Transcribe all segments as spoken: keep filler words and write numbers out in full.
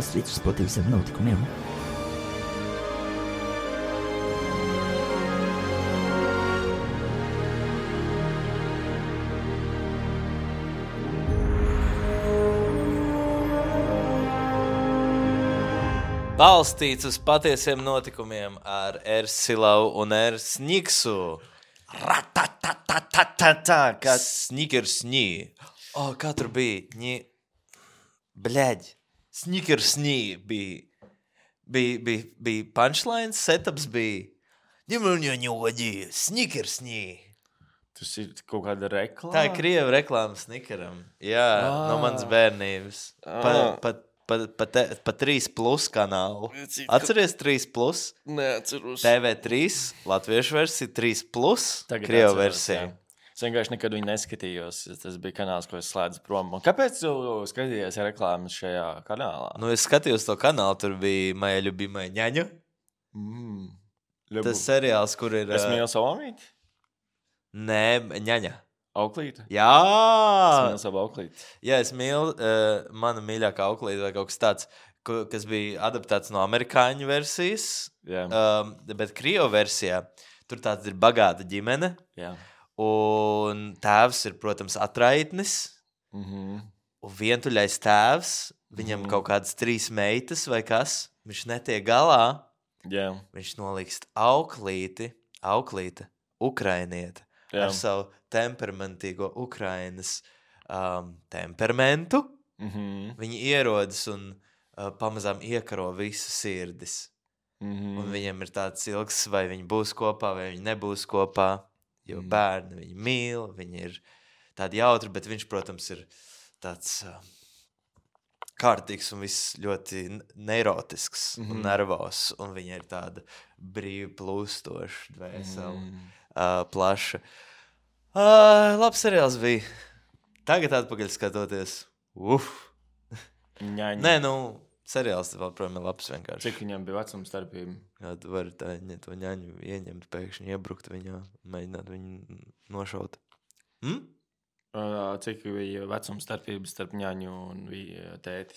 Street par visiem notikumiem. Balstīts uz patiesiem notikumiem ar Ersilau un Ersniksu. Ratatatatata, Kā snigersnī. O, kā tur bija? Ņi... Bļaģ. Snigersnī bija. Bija, bija, bija punchlines, setups bija. Ņemļņoņoģi, snigersnī. Tas ir kaut kāda reklāma? Tā ir krieva reklāma snikeram. Jā, ah. no manas bērnības. Pa, pa, pa, pa, te, pa trīs plus kanālu. Atceries trīs plus? Neatceros. T V trīs, latviešu versija, trīs plus, krieva versija. Jā. Es vienkārši nekad viņu neskatījos. Tas bija kanāls, ko es slēdzu prom. Un kāpēc tu skatījies reklāmas šajā kanālā? Nu, es skatījos to kanālu, tur bija Maja ļubimai ņaņa. Mm. Tas seriāls, kur ir... Es mīlu savu omīti? Nē, ņaņa. Auklīte? Jā! Es mīlu savu auklīti. Jā, es mīlu uh, mana mīļākā auklīte vai kaut kas tāds, ko, kas bija adaptēts no amerikāņu versijas. Jā. Um, bet krievu versijā tur tāds ir bagāta ģimene. Jā. Un tēvs ir, protams, atraitnis. Mhm. Un vientuļais tēvs, viņam Mhm. kaut kādas trīs meitas vai kas, viņš netiek galā. Jā. Viņš nolikst auklīti, auklīte, ukrainiete, Jā. ar savu temperamentīgo Ukrainas um, temperamentu. Mhm. Viņi ierodas un uh, pamazām iekaro visas sirdis. Mhm. Un viņiem ir tāds ilgs, vai viņi būs kopā, vai viņi nebūs kopā. Jo bērni viņu mīl, viņi ir tādi jautri, bet viņš, protams, ir tāds uh, kārtīgs un viss ļoti neirotisks mm-hmm. un nervos. Un viņa ir tāda brīvi plūstoša, dvēsela, mm. uh, plaša. Uh, labs seriāls bija. Tagad atpakaļ skatoties. Uf! Ņaņa. Nē, nu, seriāls vēl, protams, ir labs vienkārši. Cik viņam bija vecuma starpība? Jā, tu vari tā, ja to ņaņu ieņemt, pēkšņi iebrukt viņā, mēģināt viņu nošaut. Hm? Uh, cik bija vecuma starpības starp ņaņu un tēti?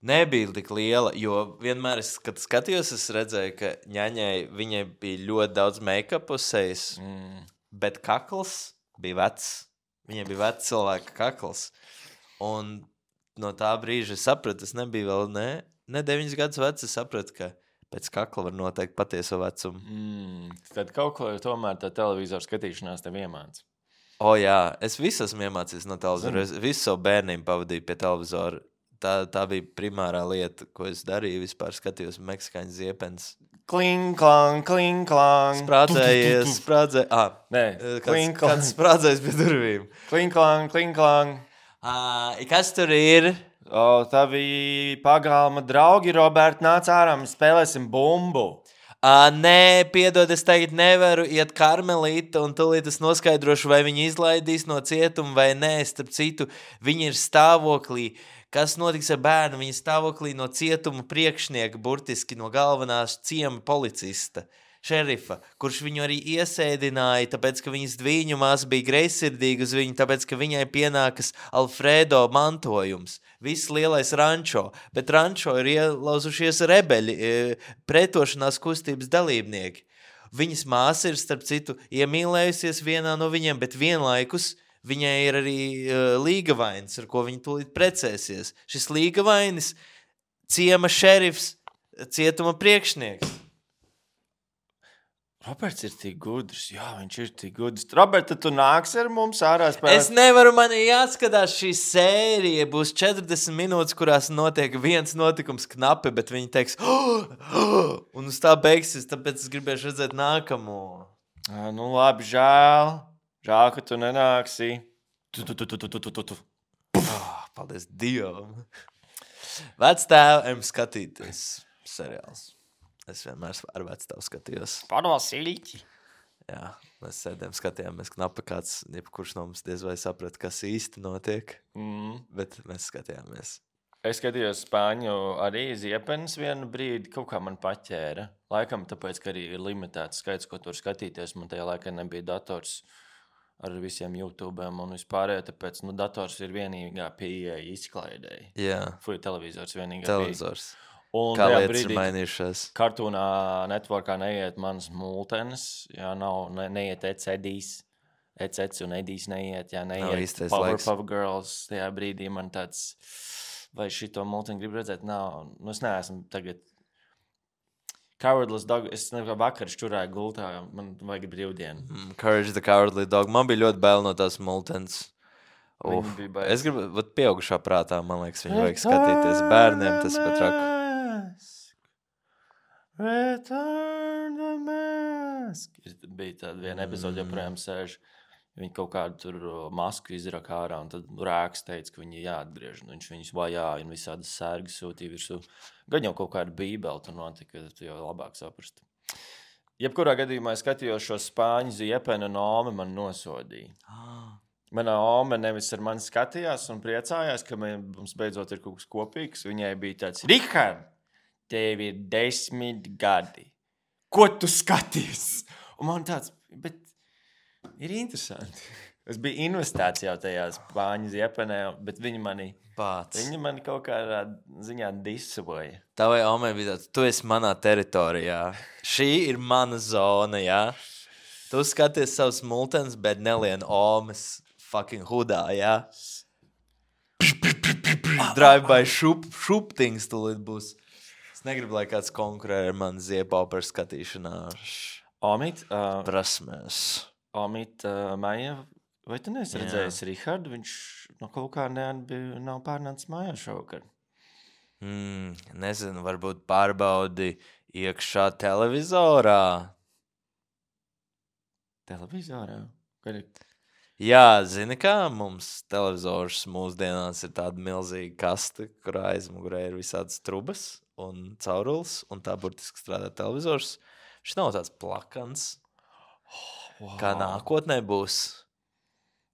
Nebija tik liela, jo vienmēr, es, kad skatījos, es redzēju, ka ņaņai viņai bija ļoti daudz make-up uz sejas, mm. bet kakls bija vecs. Viņai bija vecs cilvēka kakls. Un no tā brīža es sapratu, es nebiju vēl ne, ne deviņas gadus vecs, es sapratu, ka pēc kakla var noteikt patieso vecumu. Mm. Tad kaut ko tomēr tā televizoru skatīšanās tev iemāca. O jā, es visu esmu iemācījies no televizora. Es visu savu bērnību pavadīju pie televizora. Tā, tā bija primārā lieta, ko es darīju. Vispār skatījos meksikāņu ziepens. Kling, klang, kling, klang. Sprādzējies, sprādzējies. Ah, Nē, kāds, kāds sprādzējis pie durvīm. Kling, klang, kling, klang. Ah, kas tur ir? O, tā bija pagalma draugi, Robert, nāc ārā, mēs spēlēsim bumbu. Uh, nē, piedod, es tagad nevaru iet Karmelīta, un tūlīt es noskaidrošu, vai viņi izlaidīs no cietuma vai nē. Starp citu, viņi ir stāvoklī. Kas notiks ar bērnu? Viņi stāvoklī no cietuma priekšnieka, burtiski no galvenās ciema policista, šerifa, kurš viņu arī iesēdināja, tāpēc, ka viņas dvīņu māsa bija greizsirdīga uz viņu, tāpēc, ka viņai pienākas Alfredo mantojums. Viss lielais rančo, bet rančo ir ielauzušies rebeļi, pretošanās kustības dalībnieki. Viņas māsa ir, starp citu, iemīlējusies vienā no viņiem, bet vienlaikus viņai ir arī uh, līgavainis, ar ko viņa tūlīt precēsies. Šis līgavainis, ciema šerifs, cietuma priekšnieks. Roberts ir tik gudrs, jā, viņš ir tik gudrs. Robert, tu nāks ar mums ārā spēlēt? Es nevaru, man jāskatās šī sērija, būs četrdesmit minūtes, kurās notiek viens notikums knapi, bet viņi teiks, oh, oh, un uz tā beigsies, tāpēc es gribēšu redzēt nākamo. À, nu labi, žēl, žēl, ka tu nenāksi. Tu, tu, tu, tu, tu, tu, tu, tu. Oh, paldies Dievam. Vectēvam skatīties seriāls. Es vienmēr ar vectāvu skatījos. Panosīļķi. Jā, mēs sēdējām, skatījāmies knapi kāds, jebkurš no mums diez vai saprat, kas īsti notiek, Mm. bet mēs skatījāmies. Es skatījos Spāņu arī ziepenes vienu brīdi, kaut kā man paķēra. Laikam tāpēc, ka arī ir limitēts skaits, ko tur skatīties. Man tajā laikā nebija dators. ar visiem YouTube'iem un vispārējo, tāpēc, nu, dators ir vienīgā pieeja izklaidēji. Jā. Fui, televizors vienīgā Televizors. pieeja. Un Kā tajā lietas brīdī, ir mainījušās. Cartoonā networkā neiet manas multenes, jā, nav, ne, neiet Eds Edijs, Eds Eds un Edijs neiet, jā, Nav neiet īstais Power laiks. Puff Girls, tajā brīdī man tāds, vai šito multeni grib redzēt, nav, nu es neesmu tagad, Cowardless Dog, es nekā vakar šķurāju gultā, man vajag brīvdienu. Mm, Courage the Cowardly Dog. Man bija ļoti bail no tās multens. Uf. Viņa bija baisa. Es gribu, vat pieaugušā prātā, man liekas, viņu vajag skatīties. Bērniem tas pat raku. Return the mask. Ir, bija tāda viena epizode, joprojām sēž. Viņi kaut kādu tur masku izraka ārā, un tad Rēks teica, ka viņi jāatgriež. Viņš viņus vajāja un visādas sērgas sūtīja virsū. Gan jau kaut kāda bībeli tur notika, tu jau labāk saprast. Jebkurā gadījumā es skatījos šo spāņu Ziepenu un Omi man nosodīja. Manā Ome nevis ar mani skatījās un priecājās, ka mums beidzot ir kaut kas kopīgs. Viņai bija tāds, Rihard, tev ir desmit gadi. Ko tu skaties? Un man tāds, bet ir interesanti. Es biju investēts jau tajā spāņu Ziepenē, bet viņi mani, Pāc. viņi mani kaut kādā ziņā disavoja. Tavai omai bija tāds, tu esi manā teritorijā. Šī ir mana zona, jā. Tu skaties savus multens, bet nelien omas fucking hudā, jā. Drive-by šup, šuptings tulīt būs. Es negribu, lai kāds konkurē ar mani Ziepā par skatīšanās Omid, uh, prasmēs. Omid, uh, Maija, vai tu neesi redzējis Rihardu? Viņš no kaut kā neatbija, nav pārnācis mājā šovakar. Mm, nezinu, varbūt pārbaudi iekšā televizorā. Televizorā? Kad ir... Jā, zini kā, mums televizors mūsdienās ir tāda milzīga kaste, kurā aizmugurē ir visādas trubas un caurules, un tā burtiski strādā televizors. Šis nav tāds plakans, Wow. kā nākotnē būs.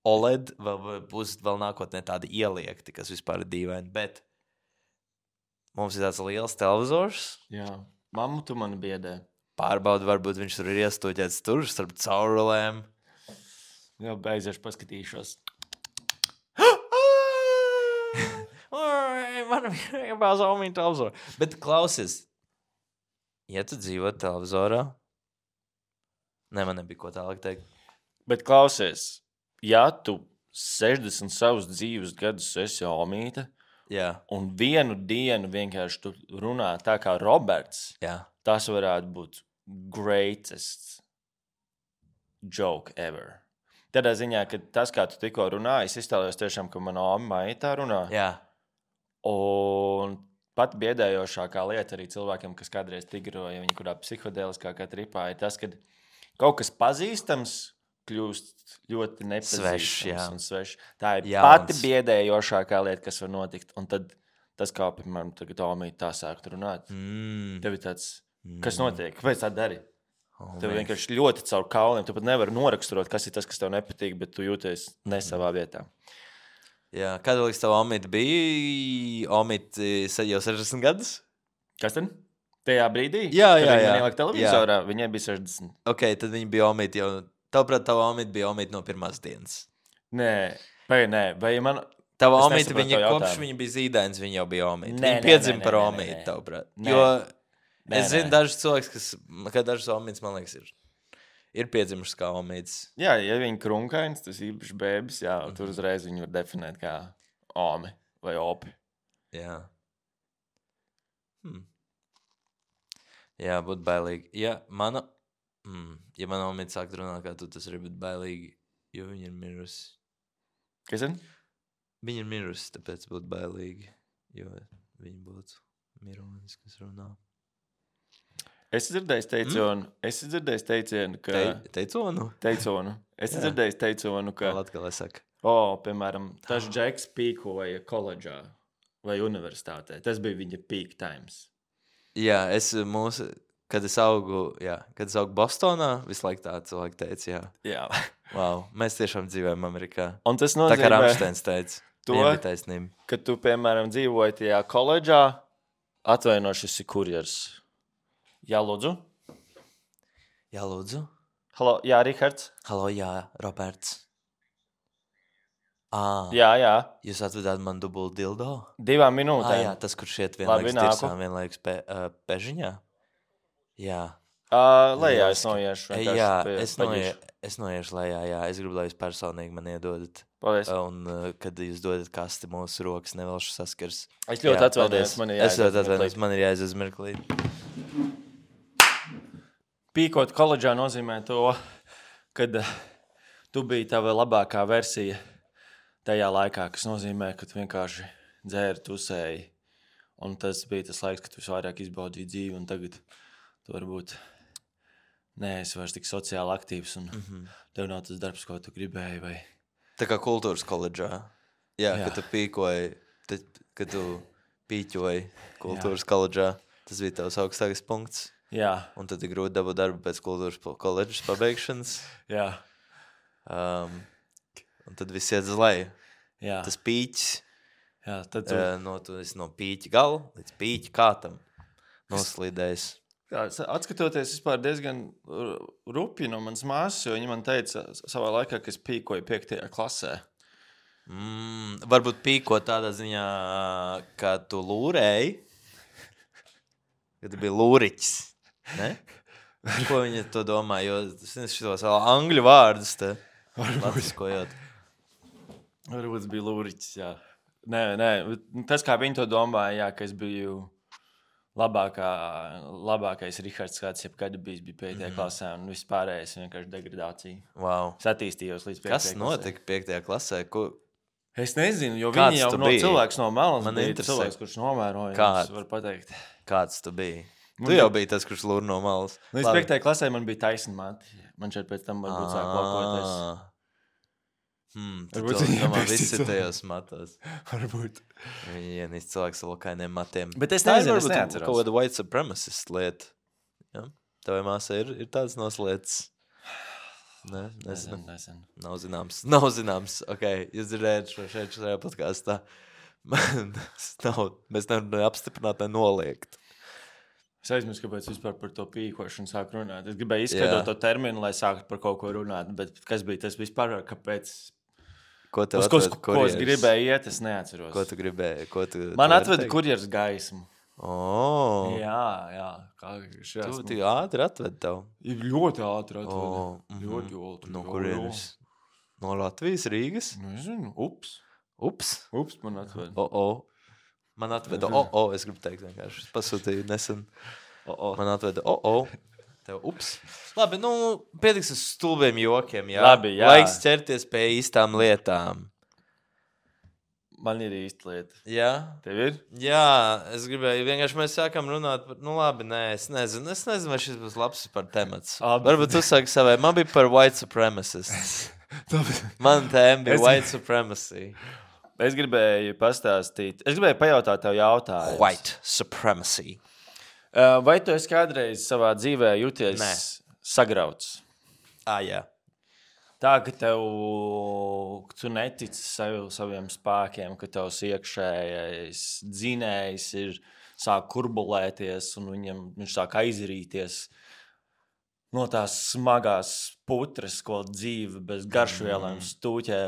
O L E D vēl, būs vēl nākotnē tādi ieliekti, kas vispār ir dīvaini, bet mums ir tāds liels televizors. Jā, mammu tu mani biedē. Pārbaudi, varbūt viņš tur ir iestūķēts tur starp caurulēm. Jā, beigšu paskatīšos. Man ir bāz omīna televizorā. Bet klausies, ja tu dzīvo televizorā, ne, man nebija ko tālāk teikt. Bet klausies, ja tu sešdesmit savus dzīves gadus esi omīte, Jā, un vienu dienu vienkārši tu runā tā kā Roberts, jā. tas varētu būt greatest joke ever. Tādā ziņā, ka tas, kā tu tikko runāji, es iztēlējos tiešām, ka mana omma tā runā. Jā, Un pat biedējošākā lieta arī cilvēkiem, kas kādreiz tigroja, viņi kurā psihodēliskākā tripā, ir tas, ka kaut kas pazīstams kļūst ļoti nepazīstams Svešs, jā. un svešs. Tā ir Jauns. pati biedējošākā lieta, kas var notikt. Un tad tas, kā, piemēram, tagad Omīte tā sākt runāt, mm. tev ir tāds, kas notiek? Kāpēc tā dari? Oh, Tev man. vienkārši ļoti caur kauliem. Tu pat nevari noraksturot, kas ir tas, kas tev nepatīk, bet tu jūties ne savā vietā. Jā, kāda liekas tev omīte bija? Omīte jau sešdesmit gadus? Kas tad? Tajā brīdī? Jā, Kad jā, viņi jā. man ielika televizorā, viņai bija sešdesmit. Ok, tad viņa bija omīte jau. Tavuprāt, tava omīte bija omīte no pirmās dienas. Nē, vai nē, vai man... Tava Es omīte, nesaprotu viņa tavu kopš jautājumu. viņa bija zīdains, viņa jau bija omīte. Nē, Viņa nē, piedzima nē, par nē, nē, omīti, nē. tavuprāt. Nē. Jo Nē, es zinu nē. dažus cilvēkus, kas, ka dažus omītes, man liekas, ir, ir piedzimušas kā omītes. Jā, ja viņi krunkains, tas īpaši bēbis, jā, mm -hmm. tur uzreiz viņu var definēt kā omi vai opi. Jā. Hmm. Jā, būtu bailīgi. Ja mana, mm, ja mana omīte sāk runāt kā tu, tas arī būtu bailīgi, jo viņa ir mirusi. Kas tad? Viņa ir mirusi, tāpēc būtu bailīgi, jo viņa būtu mironis, kas runā. Es dzirdēju teicienu, mm? es dzirdēju teicienu, ka... Te, teiconu? Teiconu. Es Jā. dzirdēju teiconu, Kā ka... latgalē saka. O, piemēram, tas džeks pīkoja koledžā vai universitātē. Tas bija viņa peak times. Jā, es mūsu, kad es augu, jā, kad es augu Bostonā, visu laiku tā cilvēki teica, jā. Jā. Wow, mēs tiešām dzīvojam Amerikā. Un tas Tā kā nozīmē, Ramsteins teica. to- Viņam bija taisnība. ka tu, piemēram, dzīvoji tajā koledžā, atvaino, šis ir kurjers. Jā, lūdzu. Jā, lūdzu. Halo, jā, Rihards. Halo, jā, Roberts. À, Jā, jā. Jūs atvedāt man dubult dildo? Divām Ah, minūtēm. jā, tas, kurš iet Labi, vienlaikus nāku. dirsām, vienlaikus pe, uh, pežiņā? Jā. Uh, lejā es Lieliski. noiešu. E, vienkārši Jā, pie- es, noie, paģišu. es noiešu lejā, jā. Es gribu, lai jūs personīgi man iedodat. Paldies. Un, uh, kad jūs dodat kasti mūsu rokas, nevelšu saskars. Es ļoti Jā, atvainojos, paldies. man ir Es jāaiziet ļoti atvainojos, mirklīt. man ir jāaiziet uz mirklīt. Pīkot koledžā nozīmē to, kad uh, tu biji tava labākā versija tajā laikā, kas nozīmē, ka tu vienkārši dzēri, tusēji. Un tas bija tas laiks, kad tu visvairāk izbaudīji dzīvi, un tagad tu varbūt neesi vairs tik sociāli aktīvs, un Mhm. tev nav tas darbs, ko tu gribēji, vai... Tā kā kultūras koledžā. Jā, Jā. kad tu pīkoji, tad, kad tu pīķoji kultūras koledžā, tas bija tavs augstākais punkts. Jā, Un tad ir grūti dabūt darbu pēc kultūras po- koledžas pabeigšanas. jā, Um, un tad viss iet uz leju. jā. Tas pīķis, jā tad tu... uh, no, tu esi no pīķa gala līdz pīķa kātam noslīdējis. Jā, sa- atskatoties vispār diezgan ru- rupi no manas māsas, jo viņa man teica s- savā laikā, ka es pīkoju piektajā klasē. Mm, varbūt pīko tādā ziņā, ka tu lūrēji, ka tu biji lūriķis. Ne? Ko viņa to domā? Jo es nezinu šitos vēl angļu vārdus te latviskojot. Varbūt tas bija lūriķis, jā. Nē, nē, bet tas, kā viņi to domāja, jā, ka es biju labākā, labākais Rihards, kāds jebkad bijis, bija piektajā mm. klasē, un viss pārējais vienkārši degradācija. Wow. Es attīstījos līdz piektajai Kas klasē. notika piektajā klasē? Ko... Es nezinu, jo Kāds viņi jau tu no biji? cilvēks no malas Man bija interesē. cilvēks, kurš novēroja. Kāds? Es varu pateikt. Kāds tu biji? Man Tu jau bija- biji tas, kurš lūr no malas. Līdz Labi. piektajai klasē man bija taisna mati. Man šeit pēc tam varbūt sāk lokoties. Ah. Hmm, tu Varbūt to viņiem domā bija visi cits tajos matos. Varbūt. Viņi ienīst cilvēks ar lokainiem matiem. Bet es Tā ir nezinu, es varbūt neatceros. kaut kāda white supremacist lieta. Ja? Tavai māsai ir, ir tādas noslietas. Ne, nezinu. Nezinu, nezinu. Nav zināms. Nav zināms. Ok, jūs dzirdējat šo šeit šajā podkāstā. Tas nav, mēs nevaram apstiprināt, ne noliegt. Es aizmirsu, kāpēc vispār par to pīkošanu sāk runāt. Es gribēju izskaidrot Jā. to terminu, lai sāktu par kaut ko runāt. Bet kas bija tas vispār, kāpēc? Ko tev Uz ko, atved ko es kurjers? gribēju iet, es neatceros. Ko tu gribēji? Ko tu, Man tu vari atveda teikt? kurjers gaismu. Oh, Jā, jā. Kā šajā tu tik ātri atved tev. Ir ļoti ātri atveda. Oh, mhm. Ļoti ātri. No jā, kurienes? No Latvijas, Rīgas? jā. Nezinu. Ups. Ups. Ups man atveda. O, o. Man atveda, o, o, es gribu teikt vienkārši. Es pasūtīju nesen. O, o. Man atveda, o, o. Tev, ups. Labi, nu, pietiks uz stulbiem jokiem, jā. Labi, jā. Laiks ķerties pie īstām lietām. Man ir īsta lieta. Jā? Tev ir? Jā, es gribēju, vienkārši mēs sākam runāt par, nu labi, nē, es nezinu, es nezinu, vai šis būs labs par temats. Labi. Varbūt tu saki savai, man bija par white supremacists. Man tēma bija Es- white supremacy. Es gribēju pastāstīt. Es gribēju pajautāt tev jautājumu. White supremacy. Uh, Vai tu esi kādreiz savā dzīvē jūties Nē. sagrauts? Ah, jā. Tā, ka tev, tu netici sav, saviem spēkiem, ka tavs iekšējais dzinējs ir sāk kurbulēties un viņam, viņš sāk aizrīties no tās smagās putras, ko dzīve bez garšvielām stūķē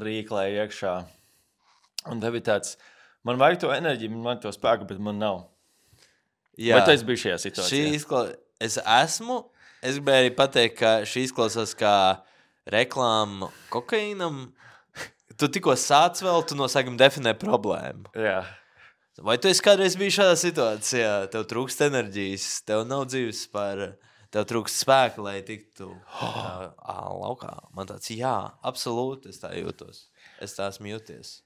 rīklē iekšā. Un tev ir tāds, man vajag to enerģiju, man vajag to spēku, bet man nav. Jā. Vai tu esi bijis šajā Šī situācijā? izkla... Es esmu, es gribēju arī pateikt, ka šī izklausās kā reklāma kokaīnam. Tu tikko sāc vēl, tu no sākuma definē problēmu. Jā. Vai tu esi kādreiz bijis šādā situācijā? Tev trūkst enerģijas, tev nav dzīves par, tev trūkst spēka, lai tiktu uh, laukā. Man tāds, jā, absolūti, es tā jūtos. Es tā esmu jūties.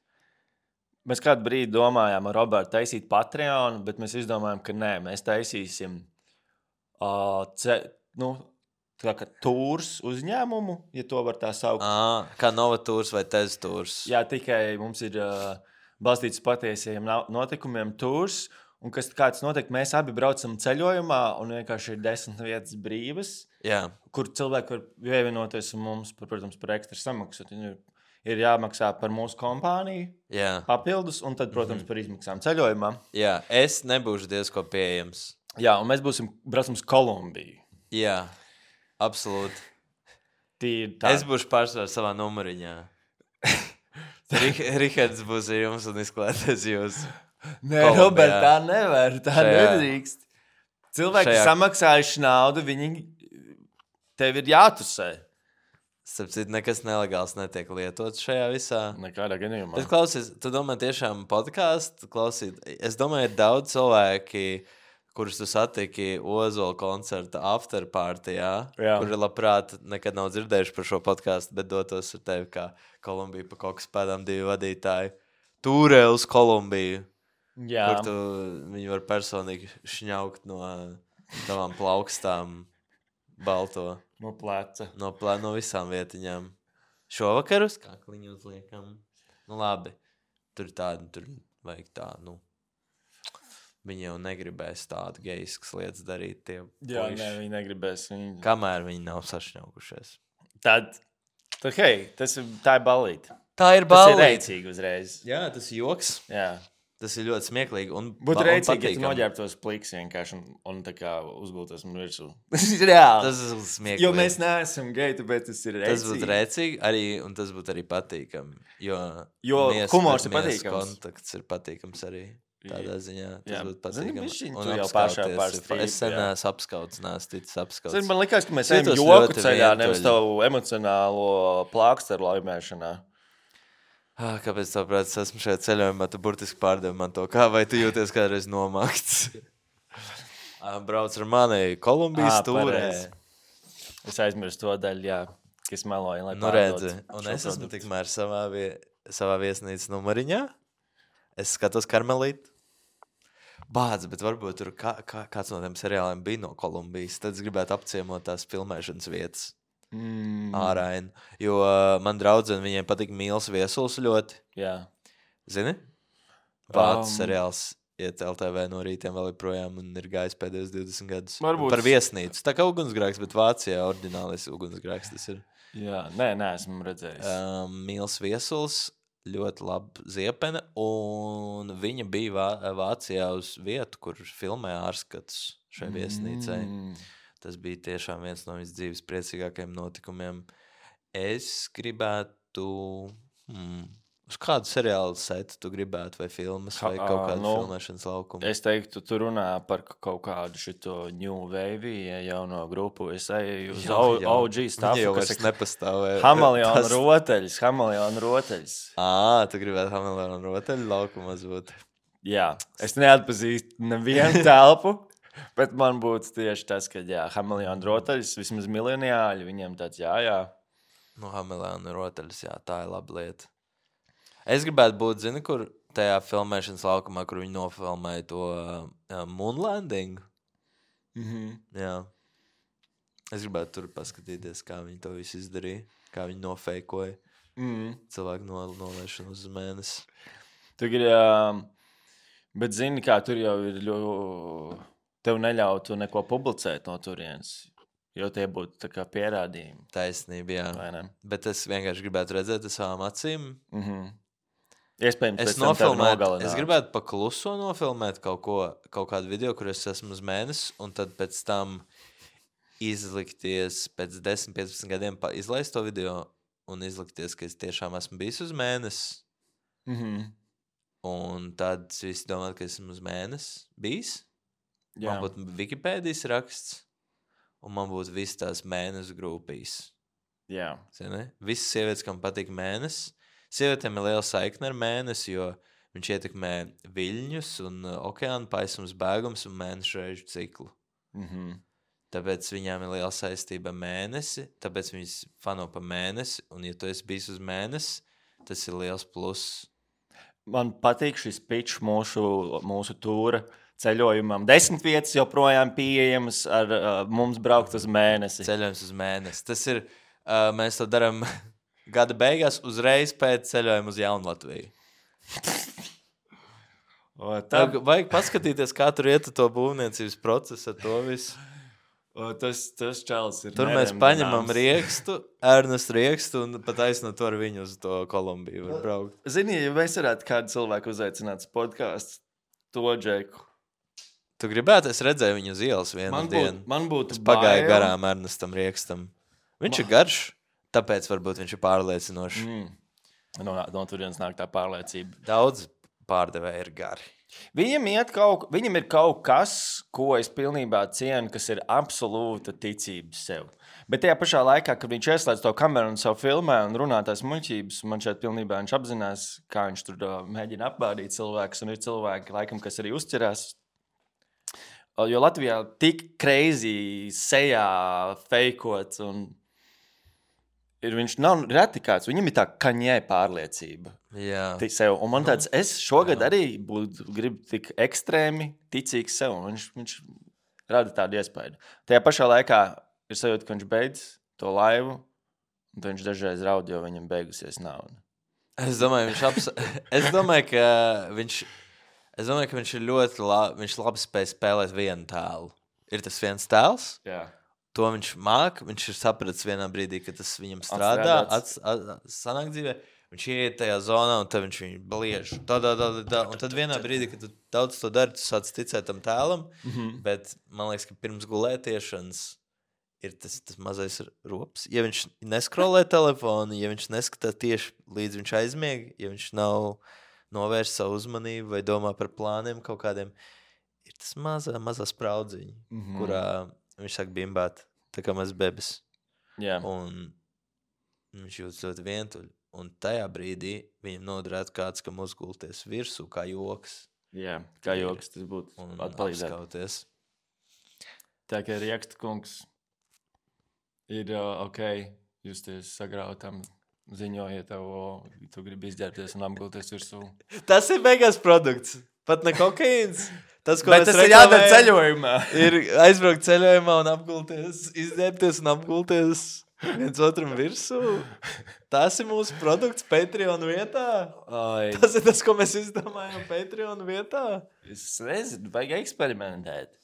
Mēs kādu brīdi domājām ar Robertu taisīt Patreon, bet mēs izdomājām, ka nē, mēs taisīsim uh, ce, nu, tā kā tūrs uzņēmumu, ja to var tā saukt. À, kā Novatūrs vai Teztūrs. Jā, tikai mums ir uh, balstīts patiesiem no- notikumiem tūrs, un kas kāds notiek, mēs abi braucam ceļojumā, un vienkārši ir desmit vietas brīvas, Jā, kur cilvēki var pievienoties un mums, par, protams, par ekstra samaksu. Ir, ir jāmaksā par mūsu kompāniju jā, papildus, un tad, protams, par izmaksām ceļojumā. jā. Es nebūšu diezko pieejams. Jā, un mēs būsim braucam uz Kolumbiju. Jā, absolūti. Tīri tā. Es būšu pārsvarā savā numuriņā. Rihards būs ar jums un izklāties jūs. Nē, Robert, tā nevar, tā šajā, nedrīkst. Cilvēki šajā... samaksājuši naudu, viņi tev ir jātusē. Starp citu, nekas nelegāls netiek lietots šajā visā. Nekādā gadījumā. Bet klausies, tu domā tiešām podkāstu klausīt? Es domāju, ir daudz cilvēki, kurus tu satiki Ozola koncerta afterpartijā, kuri labprāt nekad nav dzirdējuši par šo podkāstu, bet dotos ar tevi kā Kolumbiju pa kokas pēdām divi vadītāji. Tūrē uz Kolumbiju. Jā. Kur tu viņi var personīgi šņaukt no tavām plaukstām balto. No pleca. No, plē, no visām vietiņām. Šovakar uz kakliņu uzliekam. Nu labi, tur tādu, tur vajag tā, nu. Viņi jau negribēs tādu geiskas lietas darīt. Tie Jā, puiši. Nē, viņi negribēs. Viņi... Kamēr viņi nav sašņaukušies. Tad, tad hei, tas ir, tā ir balīte. Tā ir balīte. Tas ir reicīgi uzreiz. Jā, tas ir joks. Jā. Tas ir ļoti smieklīgi un būtu reicīgi, ja tu noģērbtos pliks vienkārši un, un tā kā uzgultos man virsū. Tas ir reāli. Tas ir smieklīgi. Jo mēs neesam geji, tāpēc tas ir reicīgi. Tas būtu reicīgi arī, un tas būtu arī patīkami. Jo, jo humors ir patīkams. Kontakts ir patīkams arī tādā ziņā. Tas Jā. būtu patīkami. Zini, un jau pašā pārstrīd. Es sen neesmu apskauts, neesmu ticis apskauts. Zini, man likās, ka mēs ejam joku ceļā, nevis tavu emocionālo plāksteru laimēšanā. Ah, kāpēc tā prāt, es esmu šajā ceļojumā, tu burtiski pārdevi man to, kā vai tu jūties kādreiz nomākts? Brauc ar mani Kolumbijas tūrē. Es aizmirstu to daļu, jā, kas meloja, lai nu, redzi, un es esmu tikmēr savā, vie, savā viesnīcas numariņā. Es skatos Karmelīti. Bādz, bet varbūt tur kā, kā, kāds no tiem seriāliem bija no Kolumbijas. Tad es gribētu apciemot tās filmēšanas vietas. Mm. Āraini, jo uh, man draudzene, viņiem patīk Mīls Viesuls ļoti. Jā. Zini? Vācu um. seriāls iet L T V no rītiem vēl joprojām un ir gājis pēdējos divdesmit gadus. Varbūt. Par viesnīcu. Tā kā ugunsgrēks, bet Vācijā oriģinālis ugunsgrēks tas ir. Jā, nē, nē, esmu redzējis. Um, Mīls Viesuls, ļoti laba ziepene, un viņa bija Vā Vācijā uz vietu, kur filmē ārskats šai viesnīcai. Mm. Tas bija tiešām viens no viņas dzīves priecīgākajiem notikumiem. Es gribētu... Hmm, uz kādu seriālu setu tu gribētu, vai filmas, vai kaut kādu nu, filmēšanas laukumu? Es teiktu, tu runā par kaut kādu šito New Wave, jauno grupu. Es eju uz jā, jā. O G stuff, jau kas vairs nepastāvē. Hameleona tas... roteļs, Hameleona roteļs. Ā, tu gribētu Hameleona roteļu laukumos būt. Jā, es neatpazīstu nevienu telpu. Bet man būtu tieši tas, ka, jā, Hameleona rotaļs, vismaz miljoniāļi, viņiem tāds, jā, jā. Nu, Hameleona rotaļs, jā, tā ir laba lieta. Es gribētu būt, zini, kur tajā filmēšanas laukumā, kur viņi nofilmēja to uh, Moon Landing. Mhm. Jā. Es gribētu tur paskatīties, kā viņi to visu izdarīja, kā viņi nofeikoja mhm. cilvēku no, nolaišanu uz mēnesi. Tu gribi, uh, bet zini, kā tur jau ir ļoti... Tev neļautu neko publicēt no turienes, jo tie būtu tā kā pierādījumi. Taisnība, jā. Vai ne? Bet es vienkārši gribētu redzēt ar savām acīm. Mhm. Iespējams, es pēc tam tev nogalināt. Es gribētu pa kluso nofilmēt kaut ko, kaut kādu video, kur es esmu uz mēnesi, un tad pēc tam izlikties, pēc desmit piecpadsmit gadiem izlaist to video un izlikties, ka es tiešām esmu bijis uz mēnesi. Mhm. Un tad visi domāt, ka esmu uz mēnesi bijis. Jā. Man būtu Wikipēdijas raksts, un man būtu visas tās mēnesu grupīs. Jā. Zini? Visas sievietes, kam patīk mēnesis. Sievietēm ir liela saikne ar mēnesi, jo viņš ietekmē viļņus un okeāna paisums bēgums un mēnešu reižu ciklu. Mhm. Tāpēc viņām ir liela saistība ar mēnesi, tāpēc viņas fano pa mēnesi, un ja tu esi bijis uz mēnesi, tas ir liels pluss. Man patīk šis pitch mūsu, mūsu tūra ceļojumam. Desmit vietas joprojām pieejamas ar uh, mums braukt uz mēnesi. Ceļojums uz mēnesi. Tas ir, uh, mēs to darām gada beigās uzreiz pēc ceļojuma uz Jaunlatviju. O, tā... Vajag paskatīties, kā tur iet to būvniecības procesu ar to visu. O, tas, tas čalis ir tur mēs paņemam riekstu, Ernestu riekstu un pat aizno to ar viņu uz to Kolumbiju var braukt. Zini, ja mēs varētu kādu cilvēku uzaicināt uz podcastu, to Džeku. Tu gribētu, es redzēju viņu uz ielas vienu man dienu. Būt, man būtu es pagāju bail. Garām Ernestam riekstam. Viņš ba. ir garš, tāpēc varbūt viņš ir pārliecinošs. Mm. No, no turienes nāk tā pārliecība. Daudz pārdevēji ir gari. Viņam, iet kaut, viņam ir kaut kas, ko es pilnībā cienu, kas ir absolūta ticība sev. Bet tajā pašā laikā, kad viņš ieslēdz to kameru un savu filmē un runā tās muļķības, man šeit pilnībā viņš apzinās, kā viņš tur mēģina apbādīt cilvēkus, un ir cilvēki, laikam, kas arī uzķerās. Jo Latvijā tik crazy sejā feikots un ir, viņš nav reti kāds, viņam ir tā kaņē pārliecība. Jā. Sev. Un man tāds, es šogad jā. arī būtu, gribu tik ekstrēmi ticīgs sev, un viņš, viņš rada tādu iespēju. Tajā pašā laikā ir sajūta, ka viņš beidz to laivu, un tad viņš dažreiz raud, jo viņam beigusies nauda. Es domāju, viņš aps... es domāju, ka viņš... Es domāju, ka viņš ir ļoti labi, viņš labi spēj spēlēt vienu tēlu. Ir tas viens tēls, jā. To viņš māk, viņš ir sapratis vienā brīdī, ka tas viņam strādā, ats, at, sanāk dzīvē, viņš ieiet tajā zonā, un tad viņš viņu bliež, tā, tā, tā, tā, un tad vienā brīdī, kad tu daudz to dari, tu sāc ticēt tam tēlam, mm-hmm. bet man liekas, ka pirms gulētiešanas ir tas, tas mazais rops. Ja viņš neskrolē telefonu, ja viņš neskatās tieši līdz viņš aizmieg, ja viņš nav novērst savu uzmanību vai domā par plāniem kaut kādiem, ir tas mazā, mazā spraudziņa, mm-hmm. kurā viņš sāk bimbāt, tā kā maz bebes. Jā. Un viņš jūtas ļoti vientuļ. Un tajā brīdī viņam noderētu kāds, kam uzgulties virsū, kā joks. Jā, kā joks, tas būtu atpalīdzēt. Tā kā Rieksta kungs ir uh, ok, justies sagrautam, ziņojiet tev, tu gribi izģērbties un apgulties virsū. Tas ir beigās produkts. Pat ne kokaīns. Tas, ko bet tas ir jādara ceļojumā. Ir aizbraukt ceļojumā un apgulties, izģērbties un apgulties viens otram virsū. Tas ir mūsu produkts Patreon vietā. Ai. Tas ir tas, ko mēs izdomājam Patreon vietā. Es nezinu, vajag eksperimentēt.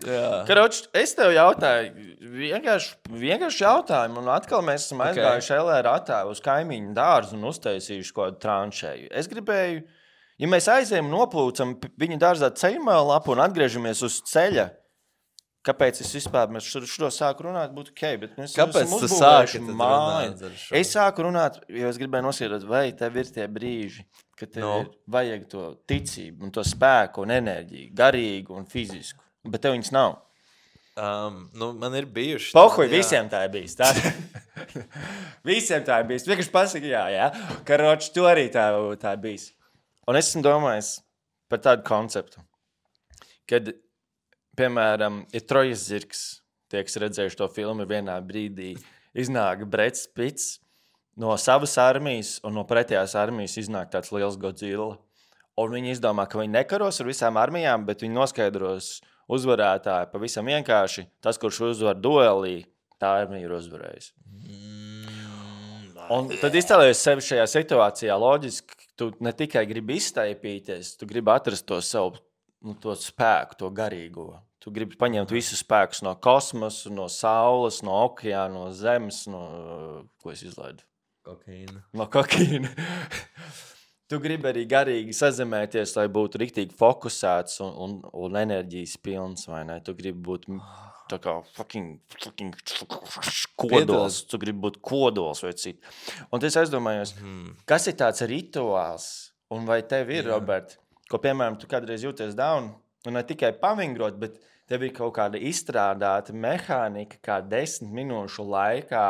Jā. Karoč, es tev jautāju, vienkārši, vienkārši jautājumu, un atkal mēs esam okay. aizgājuši L R attā uz kaimiņu dārzu un uztaisījuši kaut kādu tranšēju. Es gribēju, ja mēs aizējam un noplūcam viņa dārzā ceļmēlu lapu un atgriežamies uz ceļa, kāpēc es vispār mēs šo sāku runāt, būtu ok, bet mēs kāpēc esam tu sāki māju. Es sāku runāt, jo es gribēju noskaidrot, vai tev ir tie brīži, ka tev no. ir vajag to ticību un to spēku un enerģiju, garīgu un fizisku, bet tev viņas nav. Um, nu, man ir bijuši. Pohuj, visiem tā ir bijis. Tā. Visiem tā ir bijis. Vienkārši pasaka, jā, jā. Karoči, tu arī tā, tā ir bijis. Un es esmu domājis par tādu konceptu, kad, piemēram, ir Trojas zirgs, tie, kas redzējuši to filmu, vienā brīdī iznāk Brets Pitts no savas armijas, un no pretējās armijas iznāk tāds liels Godzilla. Un viņi izdomā, ka viņi nekaros ar visām armijām, bet viņi noskaidros uzvarētāji pavisam vienkārši. Tas, kurš uzvar duelī, tā armija ir uzvarējusi. Mm, un tad iztēlojies sevi šajā situācijā loģiski, tu ne tikai gribi izstaipīties, tu gribi atrast to savu nu, to spēku, to garīgo. Tu gribi paņemt visus spēkus no kosmosa, no saules, no okeāna, no zemes, no... Ko es izlaidu? Kokaīna. No kokaīna. Tu gribi arī garīgi sazemēties, lai būtu riktīgi fokusēts un, un, un enerģijas pilns, vai ne? Tu gribi būt tā kā fucking, fucking kodols. Tu gribi būt kodols vai citu. Un es aizdomājos, hmm. kas ir tāds rituāls? Un vai tev ir, Jā. Robert, ko, piemēram, tu kādreiz jūties down, un ne tikai pavingrot, bet tev ir kaut kāda izstrādāta mehānika, kā desmit minūšu laikā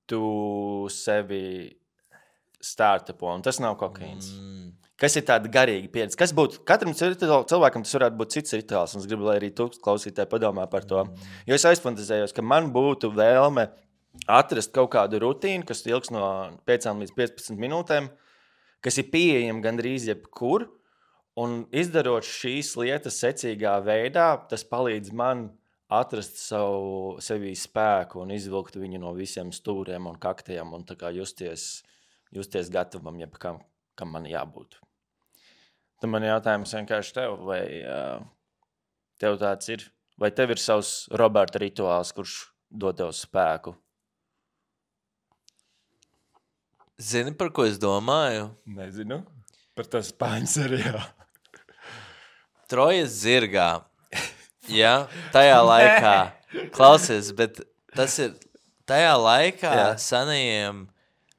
tu sevi startupo, un tas nav kokaīns. Mm. Kas ir tāda garīga pieredze? Kas būtu, katram cilvēkam tas varētu būt cits rituāls, un es gribu, lai arī tu klausītāji padomā par to. Mm. Jo es aizfantazējos, ka man būtu vēlme atrast kaut kādu rutīnu, kas ilgs no piecām līdz piecpadsmit minūtēm, kas ir pieejama gandrīz jebkur, un izdarot šīs lietas secīgā veidā, tas palīdz man atrast savu, sevī spēku un izvilkt viņu no visiem stūriem un kaktiem un tā kā justies, justies gatavam, jeb kam, kam man jābūt. Tad man jautājums vienkārši tev, vai uh, tev tāds ir, vai tev ir savs Roberta rituāls, kurš dod tev spēku? Zini, par ko es domāju? Nezinu. Par to spāņu seriālu. Trojas zirgā. Jā, tajā laikā. Klausies, bet tas ir tajā laikā Jā. senajiem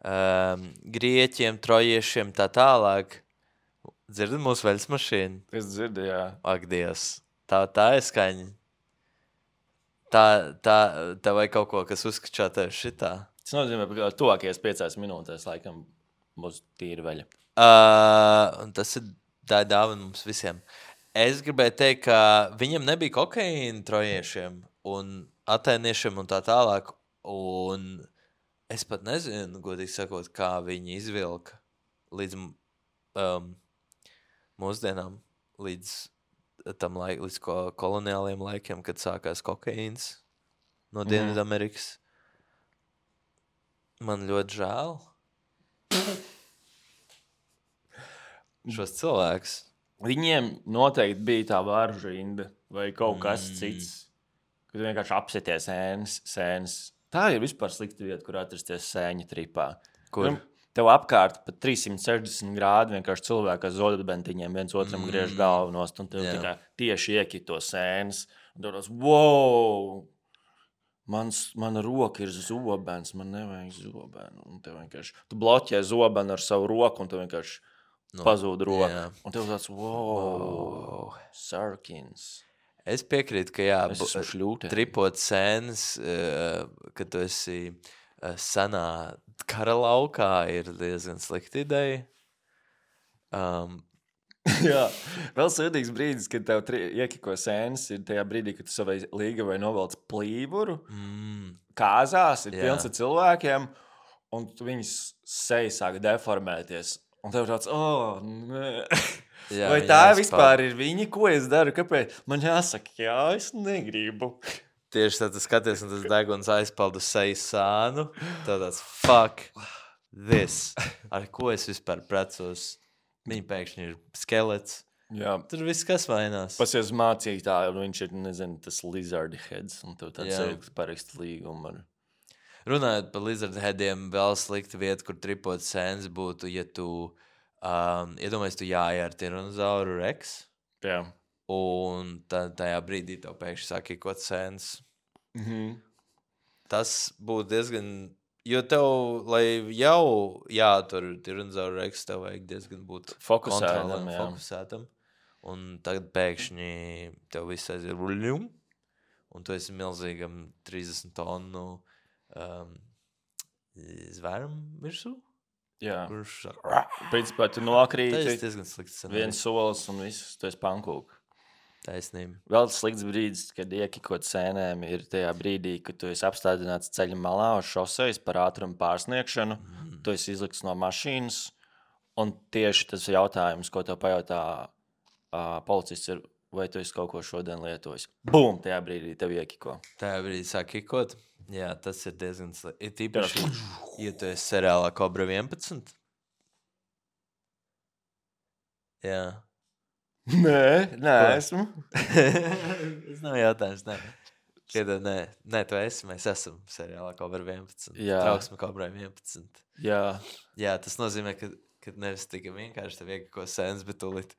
um, grieķiem, trojiešiem, tā tālāk. Dzirdat mūsu veļas mašīnu? Es dzirdu, jā. Ak, Dievs. Tā, tā ir skaņa. Tā, tā, tā vai kaut ko, kas uzskačā tev šitā? Tas nozīmē, ka tuvākajās piecās minūtēs laikam būs tīra veļa. Uh, tas ir tā dāvana mums visiem. Es gribēju teikt, ka viņam nebija kokaīna trojiešiem un atēniešiem un tā tālāk. Un es pat nezinu, godīgi sakot, kā viņi izvilka līdz um, mūsdienām, līdz tam laik, līdz ko, koloniāliem laikiem, kad sākās kokaīns no Dienvidamerikas. Man ļoti žēl šos cilvēkus. Viņiem noteikti bija tā varžu rinda vai kaut kas mm. cits, kad vienkārši apsities sēnes, sēnes. Tā ir vispār slikta vieta, kur atrasties sēņa tripā. Kur? Tev apkārt pat trīssimt sešdesmit grādi vienkārši cilvēki ar zodbentiņiem viens otram mm. griež galvu nost, un tev tikai tieši iekito sēnes. Un tev tās, wow! Mans, mana roka ir zobens, man nevajag zobenu. Un tev vienkārši, tu bloķē zobenu ar savu roku, un tev vienkārši no, pazūd roka. Jā. Un tev tāds, wow, wow. Sarkins. Es piekrītu, ka jā, tripot sēnes, kad tu esi senā kara laukā, ir diezgan slikta ideja. Um, jā, vēl sēdīgs brīdis, kad tev tri, iekiko sēnes, ir tajā brīdī, kad tu savai līgavai novelc plīvuru, mm. kāzās, ir jā. Pilns ar cilvēkiem, un viņas seja sāk deformēties. Un tev tāds, oh, nē. Jā, vai tā jāspār. Vispār ir viņi, ko es daru? Kāpēc? Man jāsaka, jā, es negribu. Tieši tad tu skaties, un tas deguns aizpalda seju sānu. Tev tāds, fuck this. Ar ko es vispār precos? Viņa pēkšņi ir skelets. Jā. Tur viss kas vainās. Pasies mācītāji, un viņš ir, nezinu, tas lizard heads, un tev tāds sajūgs parakst līgumu. Ar... Runājot par lizard headiem, vēl slikta vieta, kur tripot sēnes būtu, ja tu, um, iedomājies, tu jāja ar tiranozauru Rex. Jā. Un tā, tajā brīdī tev pēkšņi sāk ikot sēnes. Mhm. Tas būtu diezgan... Jo tev, lai jau jātur tiranozauru Rex, tev vajag diezgan būt fokusētam, fokusētam. Un tagad pēkšņi tev viss aiziet ruļum, un tu esi milzīgam trīsdesmit tonu um, zvēram virsū. Jā. Kurš sāk... Principā tu nokrīti, tas diezgan slikts viens solis un viss, tu esi pankūk. Taisnība. Vēl slikts brīdis, kad iekikot sēnēm, ir tajā brīdī, kad tu esi apstādināts ceļa malā uz šosejas par ātrumu pārsniegšanu, mm. tu esi izlikts no mašīnas, un tieši tas jautājums, ko tev pajautā uh, policists, ir, vai tu esi kaut ko šodien lietojis. Bum! Tajā brīdī tev iekiko. Tajā brīdī sāk kikot. Jā, tas ir diezgan slikti. Ir tīpaši, ja tu esi seriālā Kobra vienpadsmit. Jā. Nē, nē, esmu. Tas nav jautājums, nē. Piedod, nē, nē, tu esi, mēs esam seriālā Kobra vienpadsmit. Jā. Trauksme Kobrai vienpadsmit. Jā. Jā, tas nozīmē, ka, ka nevis tikai vienkārši tev iekako sēnes, bet tu līdz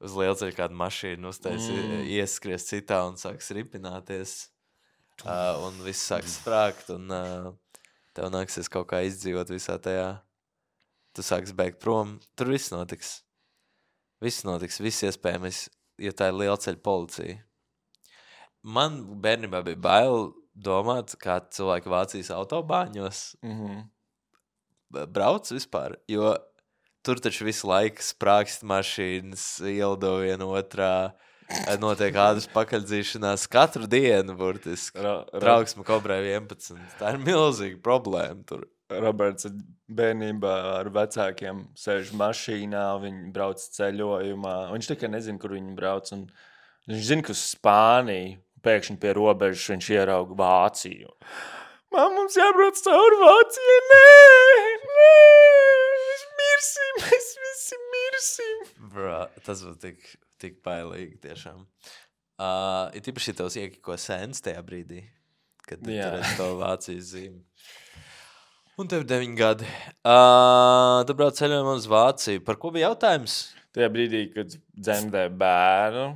uz lielceļu kādu mašīnu uztais, mm. ieskries citā un sāks ripināties. Uh, un viss sāks sprākt, un uh, tev nāksies kaut kā izdzīvot visā tajā. Tu sāks bēgt prom. Tur viss notiks. Viss notiks, viss iespējams, ja tā ir lielceļa policija. Man bērnībā bija bail domāt, kā cilvēki Vācijas autobāņos mm-hmm. brauc vispār, jo tur taču visu laiku sprākst mašīnas, ieldo viena otrā, notiek ādas pakaļdzīšanās katru dienu, burtiski. Ra, ra... Trauksme Kobrai vienpadsmit. Tā ir milzīga problēma tur. Roberts bērnībā ar vecākiem sēž mašīnā, viņi brauc ceļojumā. Viņš tikai nezina, kur viņi brauc. Un viņš zina, ka uz Spāniju pēkšņi pie robežas viņš ierauga Vāciju. Mam, mums jābrauc cauri Vācijai. Nē, nē, mēs mirsim, mēs visi mirsim. Bro, tas būtu tik, tik bailīgi tiešām. Uh, ir tīpaši tavs iekiko sēnes tajā brīdī, kad tu redz to Vācijas zīmi. Un tev ir deviņi gadi. Uh, tu brauc ceļojumā uz Vāciju. Par ko bija jautājums? Tajā brīdī, kad dzemdē bērnu.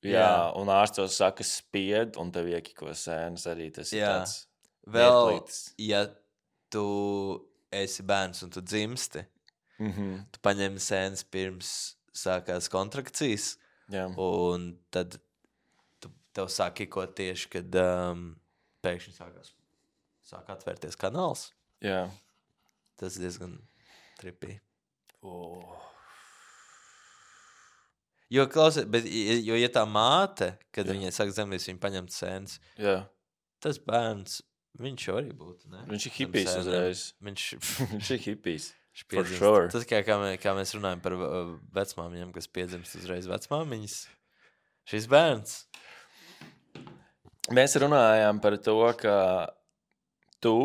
Jā, jā. Un ārstos saka spied, un tev iekiko sēnes arī. Tas jā. Ir tāds vēl, vietlītis. ja tu esi bērns un tu dzimsti, Mhm. tu paņem sēnes pirms sākās kontrakcijas, Jā. un tad tu, tev sāk ikot tieši, kad um, pēkšņi sākās, sāk atvērties kanāls. Jā. Tas diezgan tripī. Oh. Jo, klausies, bet, jo, ja tā māte, kad Jā. viņai saka zemlīs, viņa paņemt sēnes, Jā. tas bērns, viņš jau arī būtu, ne? Viņš ir hipijs uzreiz. Viņš, Viņš ir hipijs. For sure. Tas kā, kā, mē, kā mēs runājam par uh, vecmāmiņām, kas piedzimst uzreiz vecmāmiņas. Šis bērns. Mēs runājām par to, ka tu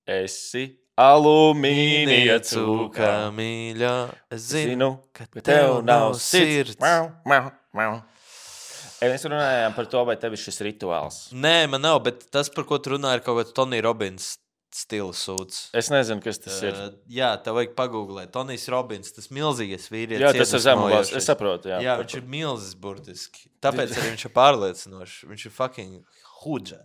esi alumīnija cūka. Mīļā, es zinu, Zinu, ka ka tev nav sirds. Mau, mau, mau. Mēs runājām par to, vai tev ir šis rituāls. Nē, man nav, bet tas, par ko tu runā, ir kaut kāds Tony Robbins stila sūds. Es nezinu, kas tas ir. Uh, jā, tev vajag pagooglēt. Tonijs Robbins, tas milzīgais vīrietis. Jā, tas ir zemulās. iedvesmojošais. Es saprotu, jā. Jā, viņš ir milzis burtiski. Tāpēc arī viņš ir pārliecinošs. Viņš ir fucking hudža.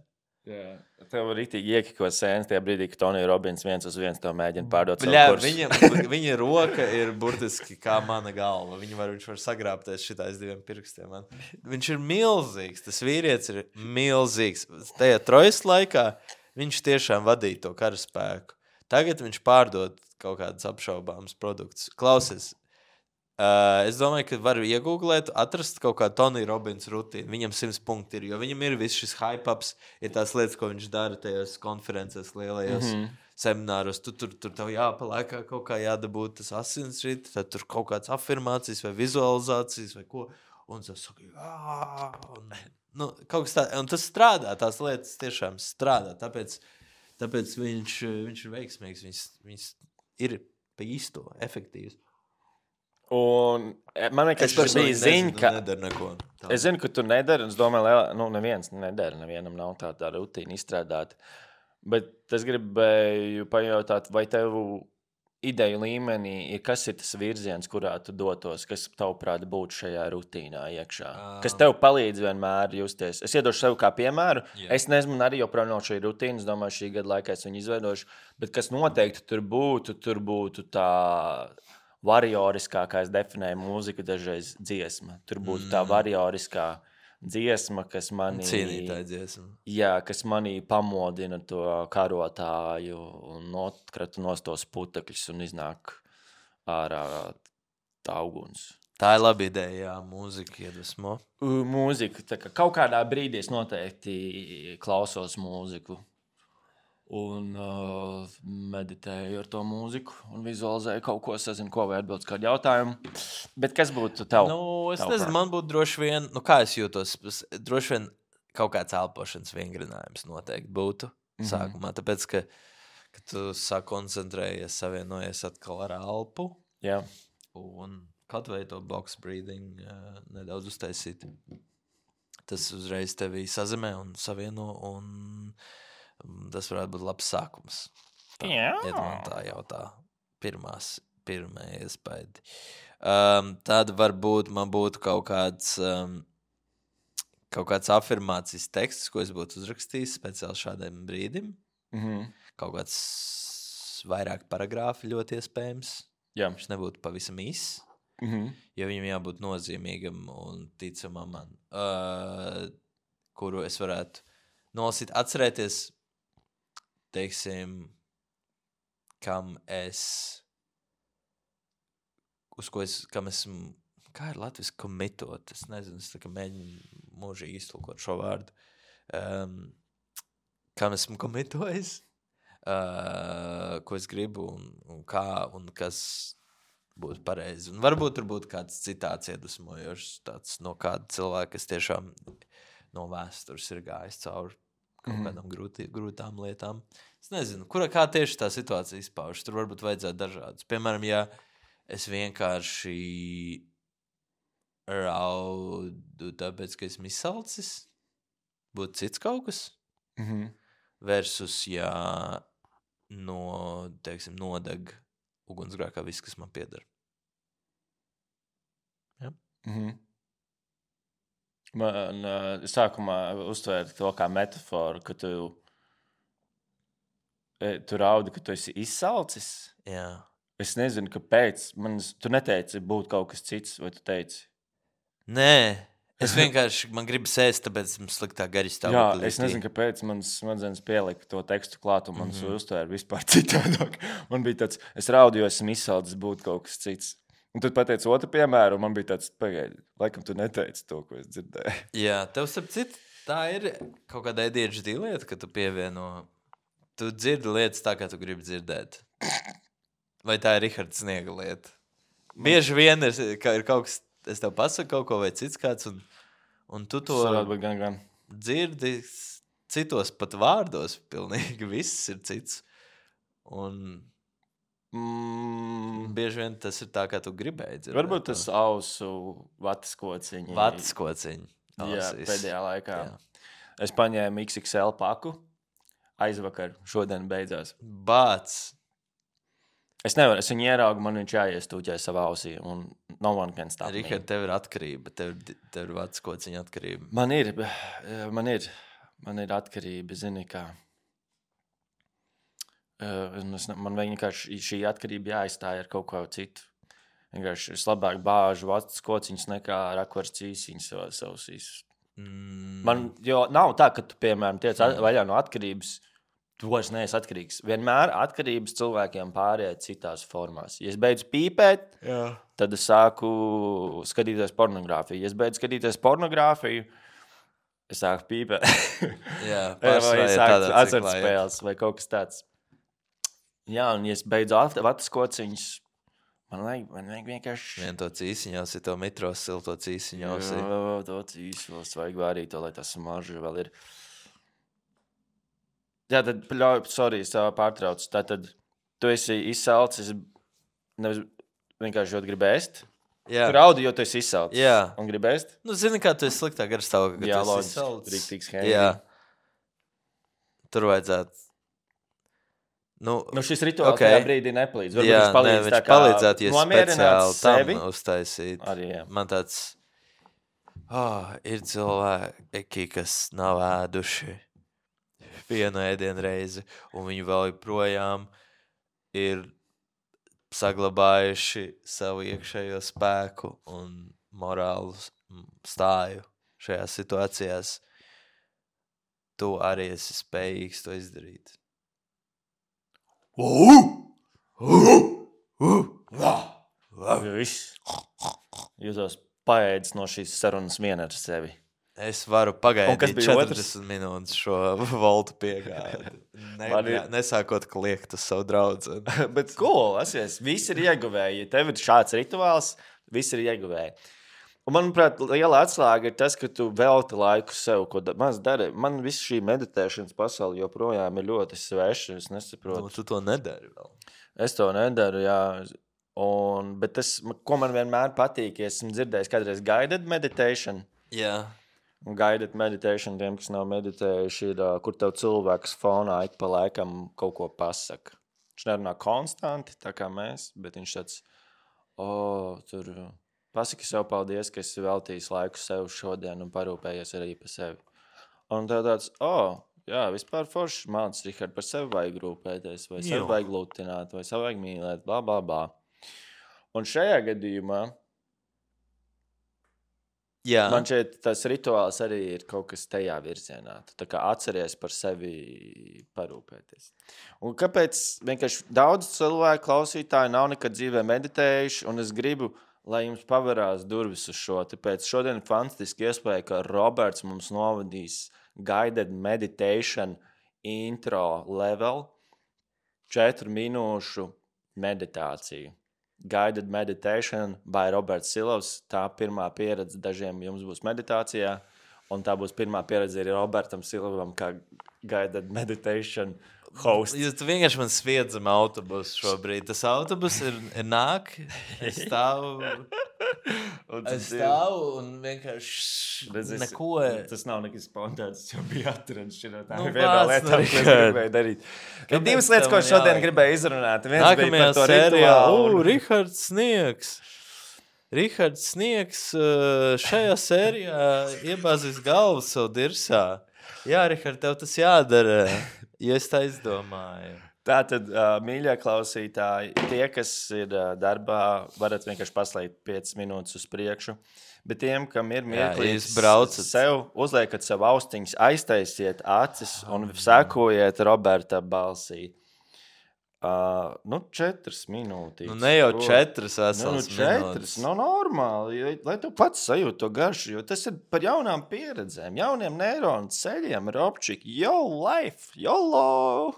Jā. Tev var itīgi iekikot sēnes tajā brīdī, ka Tonija Robbins viens uz viens tev mēģina pārdot Bļā, savu kursu. viņa, viņa roka ir burtiski kā mana galva. Viņa var, viņš var sagrābties šitais diviem pirkstiem. Man. Viņš ir milzīgs. Tas vīrietis ir milzīgs. Tajā trojas laikā viņš tiešām vadīja to karaspēku. Tagad viņš pārdod kaut kādus apšaubāmus produktus. Klausies, uh, es domāju, ka varu iegūglēt, atrast kaut kādu Tony Robbins rutīnu. Viņam simts punkti ir, jo viņam ir viss šis hype-ups, ir tās lietas, ko viņš dara tajos konferences, lielajos mm-hmm. semināros. Tu tur, tur tev jāpaliekā kaut kā jādabūt tas asinsrīt, tad tur kaut kāds afirmācijas vai vizualizācijas vai ko. Un tas saka, jā, un, nu, kaut kas tā, un tas strādā, tās lietas tiešām strādā, tāpēc, tāpēc viņš, viņš ir veiksmīgs, viņš, viņš ir pa īsto, efektīvs. Un man liekas, ka bija ziņa, ka... Nedara neko. Tā. Es zinu, ka tu nedari, un es domāju, lielā, nu, neviens nedara, nevienam nav tā, tā rutīna izstrādāta. Bet es gribēju pajautāt, vai tev ideju līmenī ir, kas ir tas virziens, kurā tu dotos, kas tavuprāt būtu šajā rutīnā iekšā? Uh. Kas tev palīdz vienmēr justies? Es iedošu sev kā piemēru. Yeah. Es nezinu, arī joprojām nav šī rutīna. Es domāju, šī gada laikā es viņu izveidošu. Bet kas noteikti tur būtu, tur būtu tā varioriskā, kā es definēju mūziku, dažreiz dziesma. Tur būtu tā varioriskā dziesma, kas manī... Cienītāja dziesma. Jā, kas manī pamodina to karotāju un notkrata nos tos putekļus un iznāk ārā tā uguns. Tā ir laba ideja, jā, mūzika iedvesmo. Mūzika, tā kā kaut kādā brīdī es noteikti klausos mūziku un uh, meditēju ar to mūziku un vizualizēju kaut ko, sazinu, ko vai atbildes kādu jautājumu. Bet kas būtu tev? Nu, es tev nezinu, prāt? man būtu droši vien, nu kā es jūtos, droši vien kaut kāds elpošanas vingrinājums noteikti būtu mm-hmm. sākumā, tāpēc, ka, ka tu sāk koncentrējies, savienojies atkal ar elpu. Jā. Un kaut vai to box breathing uh, nedaudz uztaisīt. Tas uzreiz tevi sazemē un savieno un tas varētu būt labs sākums. Tā, Jā. Iet man tā jau tā pirmās, pirmā iespēja. Um, tad varbūt man būtu kaut kāds, um, kaut kāds afirmācijas teksts, ko es būtu uzrakstījis speciāli šādiem brīdim. Mm-hmm. Kaut kāds vairāk paragrāfi ļoti iespējams. Jā. Viņš nebūtu pavisam īss, mm-hmm. jo viņam jābūt nozīmīgam un ticamam man, uh, kuru es varētu nolasīt, atcerēties, teiksim, kam es, uz ko es, kam esmu, kā ir latviski komitot, es nezinu, es tā kā mēģinu mūžīgi iztulkot šo vārdu, um, kam esmu komitojis, uh, ko es gribu un, un kā un kas būtu pareizi. Un varbūt tur būtu kāds citāts iedvesmojošs, tāds no kāda cilvēka, kas tiešām no vēstures ir gājis cauri kaut kādām mm. grūtī, grūtām lietām. Es nezinu, kura, kā tieši tā situācija izpaužas. Tur varbūt vajadzētu dažādas. Piemēram, ja es vienkārši raudu tāpēc, ka esmu izsalcis, būtu cits kaut kas. Mm-hmm. Versus, ja no, teiksim, nodeg ugunsgrēkā viss, kas man pieder. Ja? Mm-hmm. Man uh, sākumā uztvēra to kā metaforu, ka tu Tu raudi, ka tu esi izsalcis? Jā. Es nezinu, kāpēc. Man, tu neteici, būtu kaut kas cits, vai tu teici? Nē, es vienkārši, man gribas ēst, tāpēc esmu sliktā garistāvoklī. Jā, es nezinu, kāpēc manas smadzenes pielika to tekstu klāt, un manas mm-hmm. uztvēra vispār citādāk. Man bija tāds, es raudu, jo esmu izsalcis, būtu kaut kas cits. Un tad pateici otru piemēru, un man bija tāds, pagaidi, laikam tu neteici to, ko es dzirdēju. Jā, tev starp citu, tā ir kaut kāda A D H D lieta, ka tu pievieno, tu dzirdi lietas tā, kā tu gribi dzirdēt. Vai tā ir Rihards Sniega lieta? Bieži vien ir, ir kaut kas, es tev pasaku kaut ko vai cits kāds, un, un tu to gan, gan. dzirdi citos pat vārdos, pilnīgi viss ir cits. Un mm. bieži vien tas ir tā, kā tu gribēji dzirdēt. Varbūt tas ausu vatas kociņi. Vatas kociņi. Jā, pēdējā laikā. Jā. Es paņēmu X X L paku, aizvakar, šodien beidzās. Bāc! Es nevaru, es viņu ieraugu, man viņš jāiestūķē savā ausī, un no one can stop me. Rihard, tev ir atkarība, tev, tev ir vads kociņa atkarība. Man ir, man ir, man ir atkarība, zini, kā. Man vienkārši šī atkarība jāizstāja ar kaut ko citu. Vienkārši es labāk bāžu vads kociņas nekā rakvars cīsiņas savās ausīs. Mm. Man, jo nav tā, ka tu, piemēram, tiec vaļā no atkarības, tu vairs neesi atkarīgs. Vienmēr atkarības cilvēkiem pāriet citās formās. Ja es beidzu pīpēt, jā. Tad es sāku skatīties pornogrāfiju. Ja es beidzu skatīties pornogrāfiju, es sāku pīpēt. Jā, vai es sāku azartspēles vai kaut kas tāds. Jā, un ja es beidzu vatas kociņas, man vajag, man vajag vienkārši... Vien to cīsiņos, ja to mitros sil to cīsiņos. Jā, to cīsiņos vajag vārīt to, lai tas marža vēl ir... Jā, tad, pļauj, sorry, es pārtraucu. Tātad, tu esi izsalcis, nevis vienkārši jau gribi ēst? Jā. Tu raudi, jo tu esi izsalcis. Jā. Un gribi ēst? Nu, zini, kā tu esi sliktā garstāvokļa, ka jā, tu esi izsalcis. Riktīgs hēni. Jā. Tur vajadzētu. Nu, nu šis rituāls okay. tajā brīdī nepalīdz. Varbūt jā, viņš palīdz ne, tā viņš kā palīdzētu, ja speciāli sevi. Tam uztaisīt. Arī, jā. Man tāds, oh, ir cilvēki, kas nav ēduši vienu ēdienu reizi, un viņi vēl joprojām ir saglabājuši savu iekšējo spēku un morālu stāju šajās situācijās. Tu arī esi spējīgs to izdarīt. Viss. Jūtos paēdis no šīs sarunas viena ar sevi. Es varu pagaidīt četrdesmit minūtes šo voltu piegādi. Ne, ir... Nesākot kliegt uz savu draudzeni. Bet cool, asies, viss ir ieguvēji. Ja tev ir šāds rituāls, viss ir ieguvēji. Un, manuprāt, liela atslēga ir tas, ka tu velti laiku sev, ko da- maz dari. Man viss šī meditēšanas pasaule joprojām ir ļoti sveša, es nesaprotu. Nu, tu to nedari vēl. Es to nedaru, jā. Un, bet tas, ko man vienmēr patīk, ja esmu dzirdējis kādreiz guided meditation. Jā. Un guided meditation, tiem, kas nav meditējuši, ir, kur tev cilvēks fonā ik pa laikam kaut ko pasaka. Viņš nerunā konstanti, tā kā mēs, bet viņš tāds, o, tur pasaki sev paldies, ka esi veltījis laiku sev šodien un parūpējies arī par sevi. Un tev tāds, o, jā, vispār forši māc, Rihard, par sevi vajag rūpēties, vai sevi vajag lutināt, vai sevi vajag mīlēt, bla, bla, bla. Un šajā gadījumā Jā. Man šeit tas rituāls arī ir kaut kas tajā virzienā. Tu tā kā atceries par sevi parūpēties. Un kāpēc vienkārši daudz cilvēku klausītāji nav nekad dzīvē meditējuši, un es gribu, lai jums pavarās durvis uz šo. Tāpēc šodien ir fantastiski iespēja, ka Roberts mums novadīs guided meditation intro level četru minūšu meditāciju. Guided Meditation by Roberts Silovs. Tā pirmā pieredze dažiem jums būs meditācijā, un tā būs pirmā pieredze arī Robertam Silovam kā Guided Meditation host. Jūs vienkārši man sviedzam autobusu šobrīd. Tas autobus ir, ir nāk, es stāvu, es stāvu un vienkārši Redz, neko. Tas nav nekas spontāns, jo bija atrans šķirā. Tā Nu, ir vienā bāc, lietā, nu, ko es gribēju darīt. Ir divas lietas, ko es šodien gribēju izrunāt. Viens bija Nākamajā par to sērijā, rituālu. o, Rihards Sniegs. Rihards Sniegs šajā sērijā iebāzīs galvu savu dirsā. Jā, Rihard, tev tas jādara. Ja es tā izdomāju. Tātad, uh, mīļie klausītāji, tie, kas ir uh, darbā, varat vienkārši paslēgt piecas minūtes uz priekšu. Bet tiem, kam ir mirklīgs, sev uzliekat sev austiņas, aiztaisiet acis un sekojiet Roberta balsī. Uh, nu, četras minūtes. Nu, ne jau četras veselas nu, nu, četras, nu, normāli, lai tu pats sajūti to garšu, jo tas ir par jaunām pieredzēm, jauniem neironu ceļiem, Robčik, yo life, YOLO!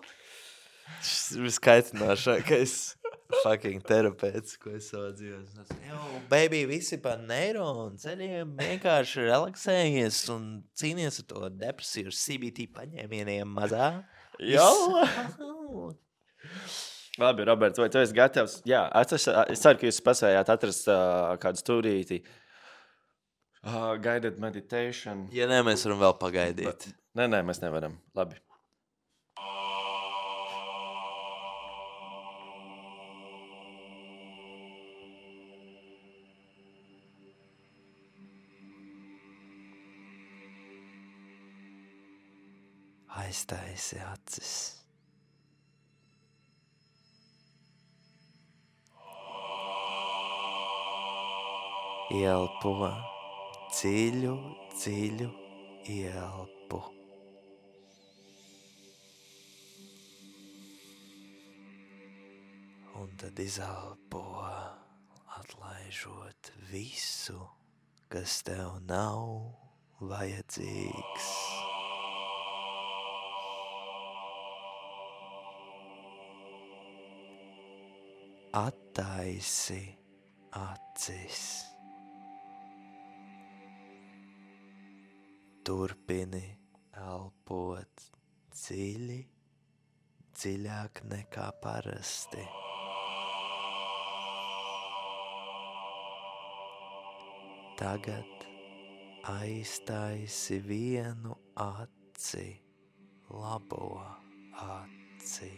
Tas ir viskaitinošākais fucking terapeits, ko es savā dzīvē. Jo, baby, visi pa neironu ceļiem vienkārši relaksējies un cīnies ar to depresiju, C B T paņēmieniem mazā. YOLO! Labi, Roberts, vai tu esi gatavs? Jā, es, es ceru, ka jūs spēsējāt atrast uh, kādu stūrīti. Uh, guided meditation. Ja nē, mēs varam vēl pagaidīt. Ba, nē, nē, mēs nevaram. Labi. Aiztaisi acis. Ielpo, dziļu, dziļu ielpu. Un tad izelpo, atlaižot visu, kas tev nav vajadzīgs. Attaisi acis. Turpini elpot dziļi, dziļāk nekā parasti. Tagad aiztaisi vienu aci, labo aci.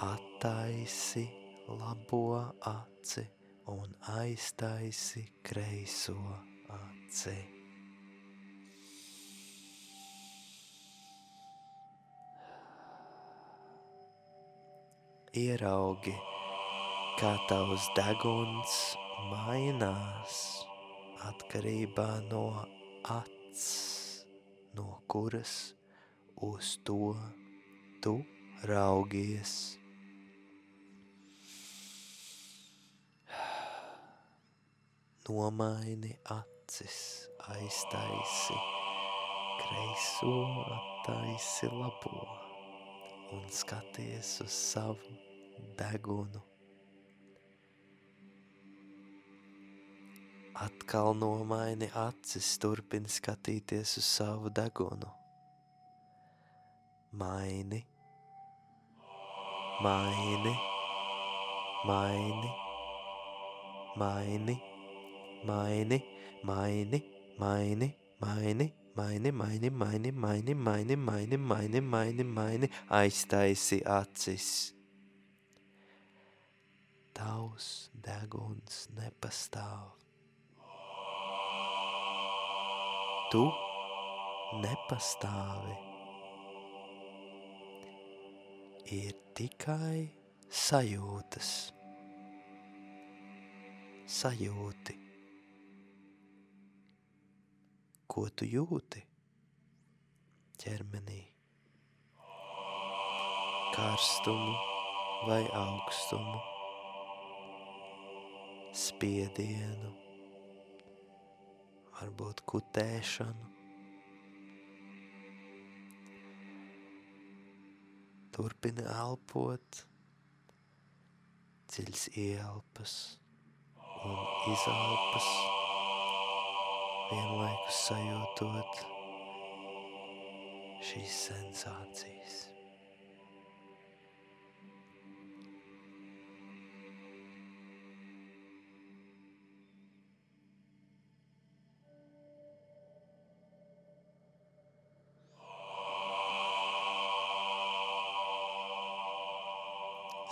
Attaisi labo aci un aiztaisi kreiso aci. Ieraugi, kā tavs deguns mainās atkarībā no acs, no kuras uz to tu raugies. Nomaini acis, aiztaisi kreiso, attaisi labo un skaties uz savu degunu. Atkal nomaini acis, turpini skatīties uz savu degunu. Maini, maini, maini, maini. Maini, maini, maini, maini, maini, maini, maini, maini, maini, maini, maini, maini, maini, aiztaisi acis. Tavs deguns nepastāv. Tu nepastāvi. Ir tikai sajūtas. Sajūti. Ko tu jūti ķermenī? Karstumu vai augstumu, spiedienu, varbūt kutēšanu. Turpini elpot, dziļas ielpas un izelpas. Vienlaikus sajūtot šīs sensācijas.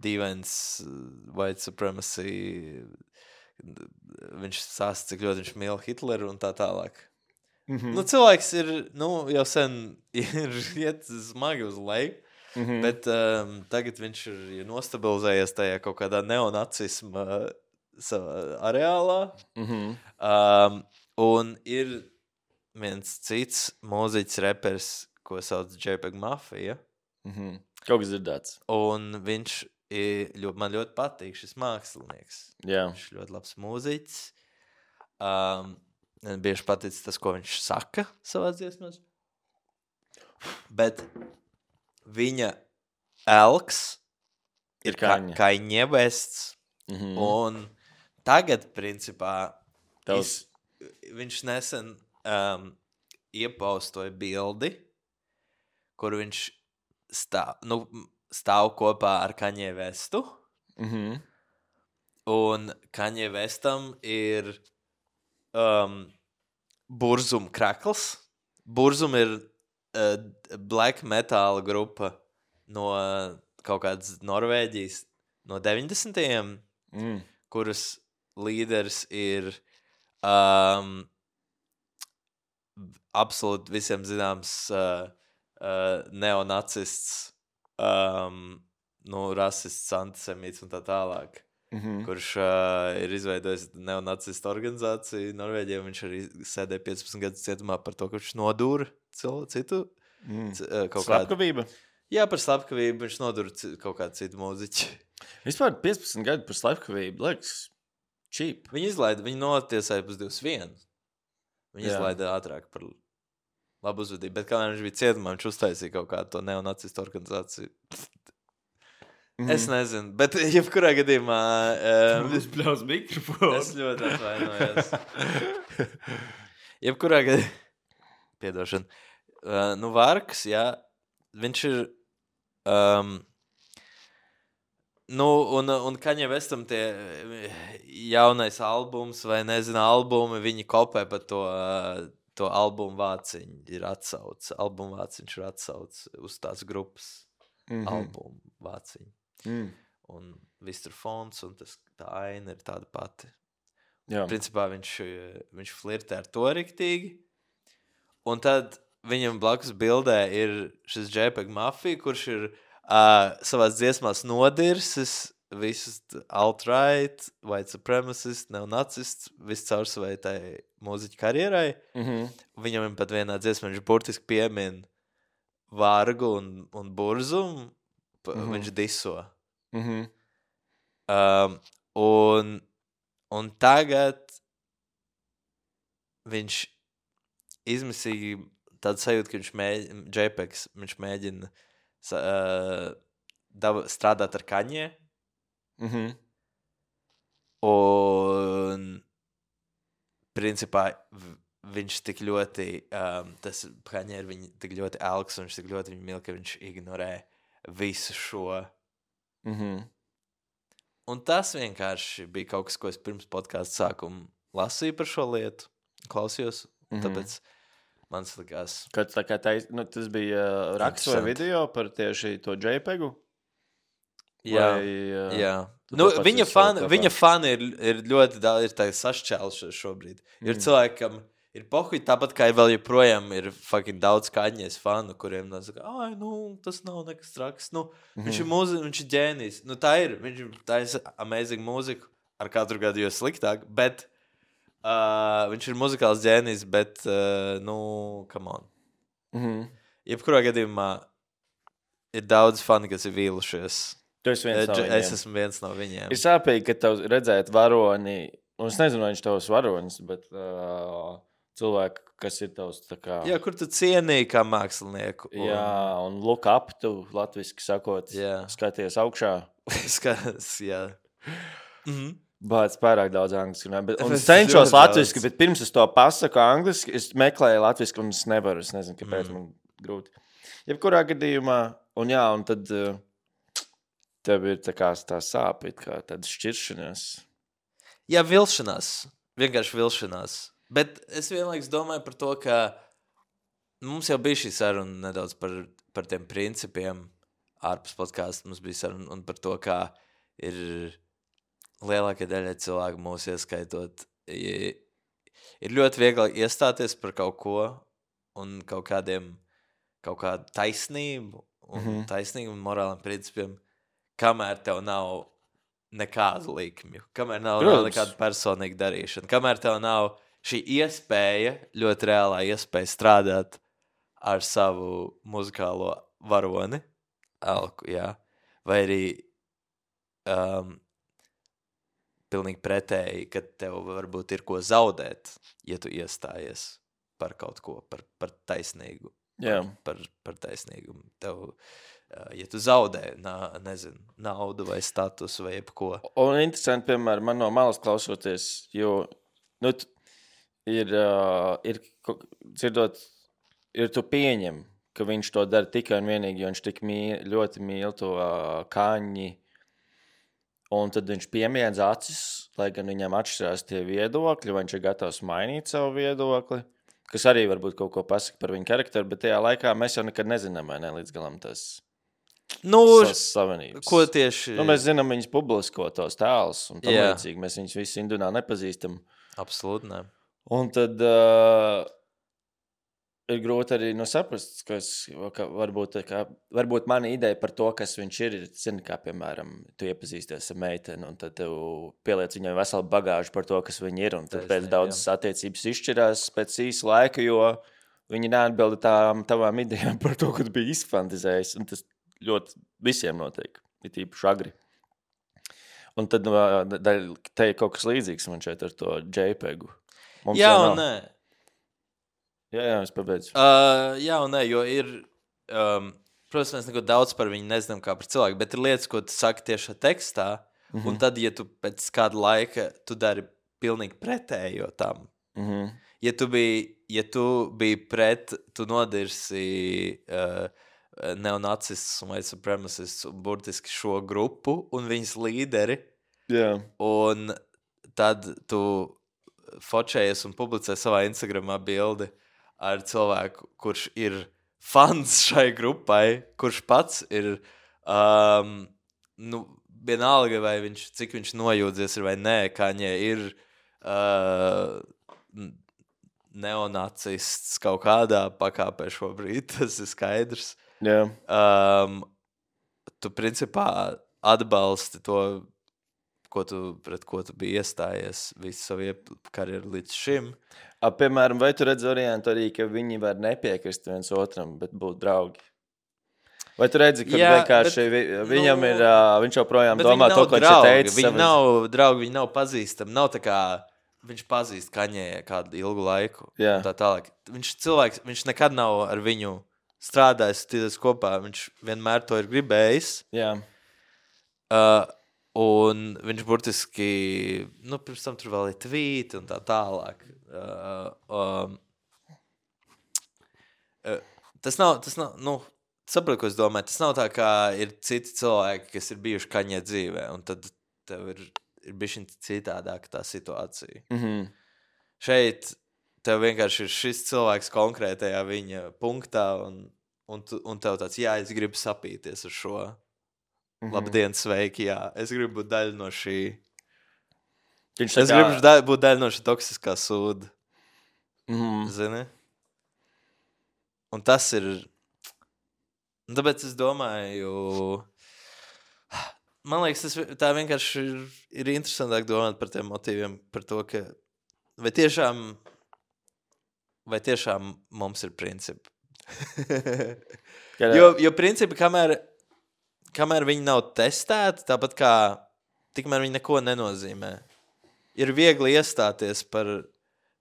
dīvains white supremacy, viņš sāsta, cik ļoti viņš mīl Hitleru un tā tālāk. Mm-hmm. Nu, cilvēks ir, nu, jau sen ir iet smagi uz leju, mm-hmm. bet um, tagad viņš ir ja nostabilizējies tajā kaut kādā neonacisma savā areālā. Mm-hmm. Um, un ir viens cits mūziķis repers, ko sauc JPEG Mafia. Mm-hmm. Kaut kas dzirdēts. Un viņš ir, ļoti, man ļoti patīk šis mākslinieks. Jā. Viņš ir ļoti labs mūziķis. Um, bieži patīk tas, ko viņš saka savās dziesmās. Bet viņa elks ir Kaņa. Kaņa Wests. Mm-hmm. Un tagad, principā, Tavs... iz, viņš nesen um, iepaustoja bildi, kur viņš stāv, nu, stāv kopā ar Kaņa Westu. Mm-hmm. Un Kaņa Westam ir um, Burzum krakls. Burzum ir uh, black metal grupa no uh, kaut kādas Norvēģijas no deviņdesmitajiem, mm. kuras līderis ir um, absolūti visiem zināms uh, uh, neonacists, um, nu, rasists, antisemīts un tā tālāk. Mm-hmm. Kurš uh, ir izveidojis neonacistu organizāciju Norvēģijā. Viņš arī sēdēja piecpadsmit gadus cietumā par to, ka viņš nodūra citu. Mm. C, uh, Slepkavība? Kādu... Jā, par slepkavību viņš nodūra c... kaut kādu citu mūziķi. Vispār piecpadsmit gadu par slepkavību, liekas, cheap. Viņi izlaida, viņi notiesāja pus divus vienu. Viņi Jā. izlaida ātrāk par labu uzvedību. Bet kā viņš bija cietumā, viņš uztaisīja kaut kādu to neonacistu organizāciju. Mm-hmm. Es nezinu, bet jebkurā gadījumā... Um, es pļaus mikrofonu. Es ļoti atvainojos. jebkurā gadījumā... Piedošana. Uh, nu, Varks, jā, viņš ir... Um, nu, un, un Kaņa Westam tie jaunais albums vai, nezinu, albumi, viņi kopē par to, uh, to albumu vāciņu. Ir atsauc. Albumu vāciņš ir atsauc uz tās grupas mm-hmm. albumu vāciņu. Mm. Un viss tur fonds un tas, tā aina ir tāda pati. Jā. Principā viņš, viņš flirtē ar to riktīgi. Un tad viņam blakus bildē ir šis JPEG Mafia, kurš ir uh, savās dziesmās nodirsis visus alt-right, white supremacist, neonacists, viss caur savai tai mūziķu karjerai. Mm-hmm. Viņam pat vienā dziesmā viņš burtiski piemin Vargu un, un Burzumu. Mm-hmm. Viņš diso. Mm-hmm. Um, un, un tagad viņš izmisīja tādu sajūtu, ka viņš mēģina, JPEGs, viņš mēģina uh, daba, strādāt ar Kaņē. Mm-hmm. Un principā viņš tik ļoti, um, tas Kaņē ir viņa tik ļoti elks un viņš tik ļoti viņu mīl, ka viņš ignorē visu šo. Mm-hmm. Un tas vienkārši bija kaut kas, ko es pirms podcastu sākuma lasīju par šo lietu, klausījos, mm-hmm. tāpēc man likās... Kad tā kā tais, nu, tas bija uh, raksts vai video par tieši to JPEGu? Jā, vai, uh, jā. Nu, viņa fani, viņa fani ir, ir ļoti daudz, ir tā sašķēlušies šobrīd. Mm. Ir cilvēkam... Ir pohuļ, tāpat kā vēl joprojām ir fucking daudz Kaņes fanu, kuriem saka, ai, nu, tas nav nekas traks. Nu, mm-hmm. Viņš ir mūziķis, viņš ir ģēnijs. Nu, tā ir, viņš ir, tā ir amazing mūziku, ar katru gadu jo sliktāk, bet uh, viņš ir muzikāls ģēnijs, bet, uh, nu, come on. Mm-hmm. Jebkurā gadījumā ir daudz fani, kas ir vīlušies. Tu esi viens no viņiem. Es esmu viens no viņiem. Ir sāpīgi, ka tev redzēt varoni, un es nezinu, vai viņš tavs varonis, bet... Uh... cilvēki, kas ir tavs tā kā... Jā, kur tu cienīji kā mākslinieku. Un... Jā, un look up, tu latviski sakot, jā. Skaties augšā. Skaties, jā. Mm-hmm. Bāc, pārāk daudz angliski. Bet, un es cenšos latviski, bet pirms es to pasaku angliski, es meklēju latviski, un es nevaru, es nezinu, kāpēc mm. man grūti. Jebkurā gadījumā, un jā, un tad tev ir tā kā tā sāpīt, kā tāda šķiršanās. Jā, vilšanās. Vienkārši vilšanās. Bet es vienlaiks domāju par to, ka mums jau bija šī saruna nedaudz par, par tiem principiem, ārpus podkāsta mums bija saruna un par to, kā ir lielākai daļai cilvēku mūs ieskaitot. Ir ļoti viegli iestāties par kaut ko un kaut kādiem, kaut kādu taisnību un mm-hmm. taisnīgu un morāliem principiem, kamēr tev nav nekādu likmju, kamēr nav, nav nekāda personīga darīšana, kamēr tev nav šī iespēja, ļoti reālā iespēja strādāt ar savu muzikālo varoni, elku, jā, vai arī um, pilnīgi pretēji, ka tev varbūt ir ko zaudēt, ja tu iestājies par kaut ko, par, par taisnīgu, yeah. par, par, par taisnīgumu. Tev, ja tu zaudē, nā, nezinu, naudu vai statusu vai jebko. Un interesanti, piemēram, man no malas klausoties, jo, nu, ir, uh, ir, dzirdot, ir tu pieņem, ka viņš to dara tikai un vienīgi, jo viņš tik mīl, ļoti mīl to uh, Kaņi, un tad viņš piemiedz acis, lai gan viņam atšķirās tie viedokļi, vai viņš ir gatavs mainīt savu viedokli, kas arī varbūt kaut ko pasaka par viņu karakteru, bet tajā laikā mēs jau nekad nezinām, vai ne līdz galam tas nu, savienības. Ko tieši? Nu, mēs zinām viņas publisko tos tēlus, un tam yeah. līdzīgi mēs viņus visu individuāli nepazīstam. Absolūti, ne. Un tad uh, ir grūti arī nu, saprast, kas, ka varbūt, ka, varbūt mana ideja par to, kas viņš ir, ir, zini, kā, piemēram, tu iepazīsties ar meiteni, un tad tev pieliec viņai veselu bagāžu par to, kas viņi ir, un tad Taisnība, pēc daudzas jā. attiecības izšķirās pēc īsa laika, jo viņi neatbilda tām tavām idejām par to, ko tu biji izfantizējis, un tas ļoti visiem notiek, ir tīpaši agri. Un tad te ir kaut kas līdzīgs man šeit ar to JPEG-u. Mums jā un nē. Jā, jā, es pabeidzu. Uh, jā un nē, jo ir, um, protams, mēs neko daudz par viņu nezinām kā par cilvēku, bet ir lietas, ko tu saki tieši tekstā, mm-hmm. un tad, ja tu pēc kāda laika, tu dari pilnīgi pretējo tam. Mm-hmm. Ja tu biji, ja tu biji pret, tu nodirsi uh, neonacists un white supremacists un burtiski šo grupu un viņas līderi, yeah. un tad tu fočējies un publicē savā Instagramā bildi ar cilvēku, kurš ir fans šai grupai, kurš pats ir, um, nu, vienalga vai viņš, cik viņš nojūdzies ir vai nē, Kaņē ir uh, neonacists kaut kādā pakāpē šobrīd, tas ir skaidrs. Yeah. Um, tu principā atbalsti to, ko tu, pret ko tu biji iestājies visu savu karjeru līdz šim. A, piemēram, vai tu redzi variantu arī, ka viņi var nepiekrist viens otram, bet būt draugi? Vai tu redzi, ka Jā, vienkārši bet, vi, viņam nu, ir, uh, viņš joprojām domā to, ko viņš teica? Viņi savas... nav draugi, viņi nav pazīstami, nav tā kā viņš pazīst Kaņē kādu ilgu laiku. Yeah. Tā tālāk. Viņš cilvēks, viņš nekad nav ar viņu strādājis, tīdās kopā, viņš vienmēr to ir gribējis. Jā. Uh, un viņš burtiski, nu, pirms tam tur vēl ir tvīti un tā tālāk. Uh, um, uh, tas nav, tas nav, nu, sapratu, ko es domāju, tas nav tā, kā ir citi cilvēki, kas ir bijuši Kaņē dzīvē, un tad tev ir, ir bišķiņ citādāk tā situācija. Mhm. Šeit tev vienkārši ir šis cilvēks konkrētajā viņa punktā, un, un, tu, un tev tāds, jā, es gribu sapīties ar šo. Mm-hmm. Labdien, sveiki, jā. Es gribu būt daļa no šī. Viņš es kā... gribu da- būt daļa no šī toksiskā sūda. Mm-hmm. Zini? Un tas ir... Un tāpēc es domāju... Man liekas, tas, tā vienkārši ir, ir interesantāk domāt par tiem motīviem, par to, ka vai tiešām... Vai tiešām mums ir principi? jo, jo principi, kamēr, kamēr viņi nav testēti, tāpat kā tikmēr viņi neko nenozīmē. Ir viegli iestāties par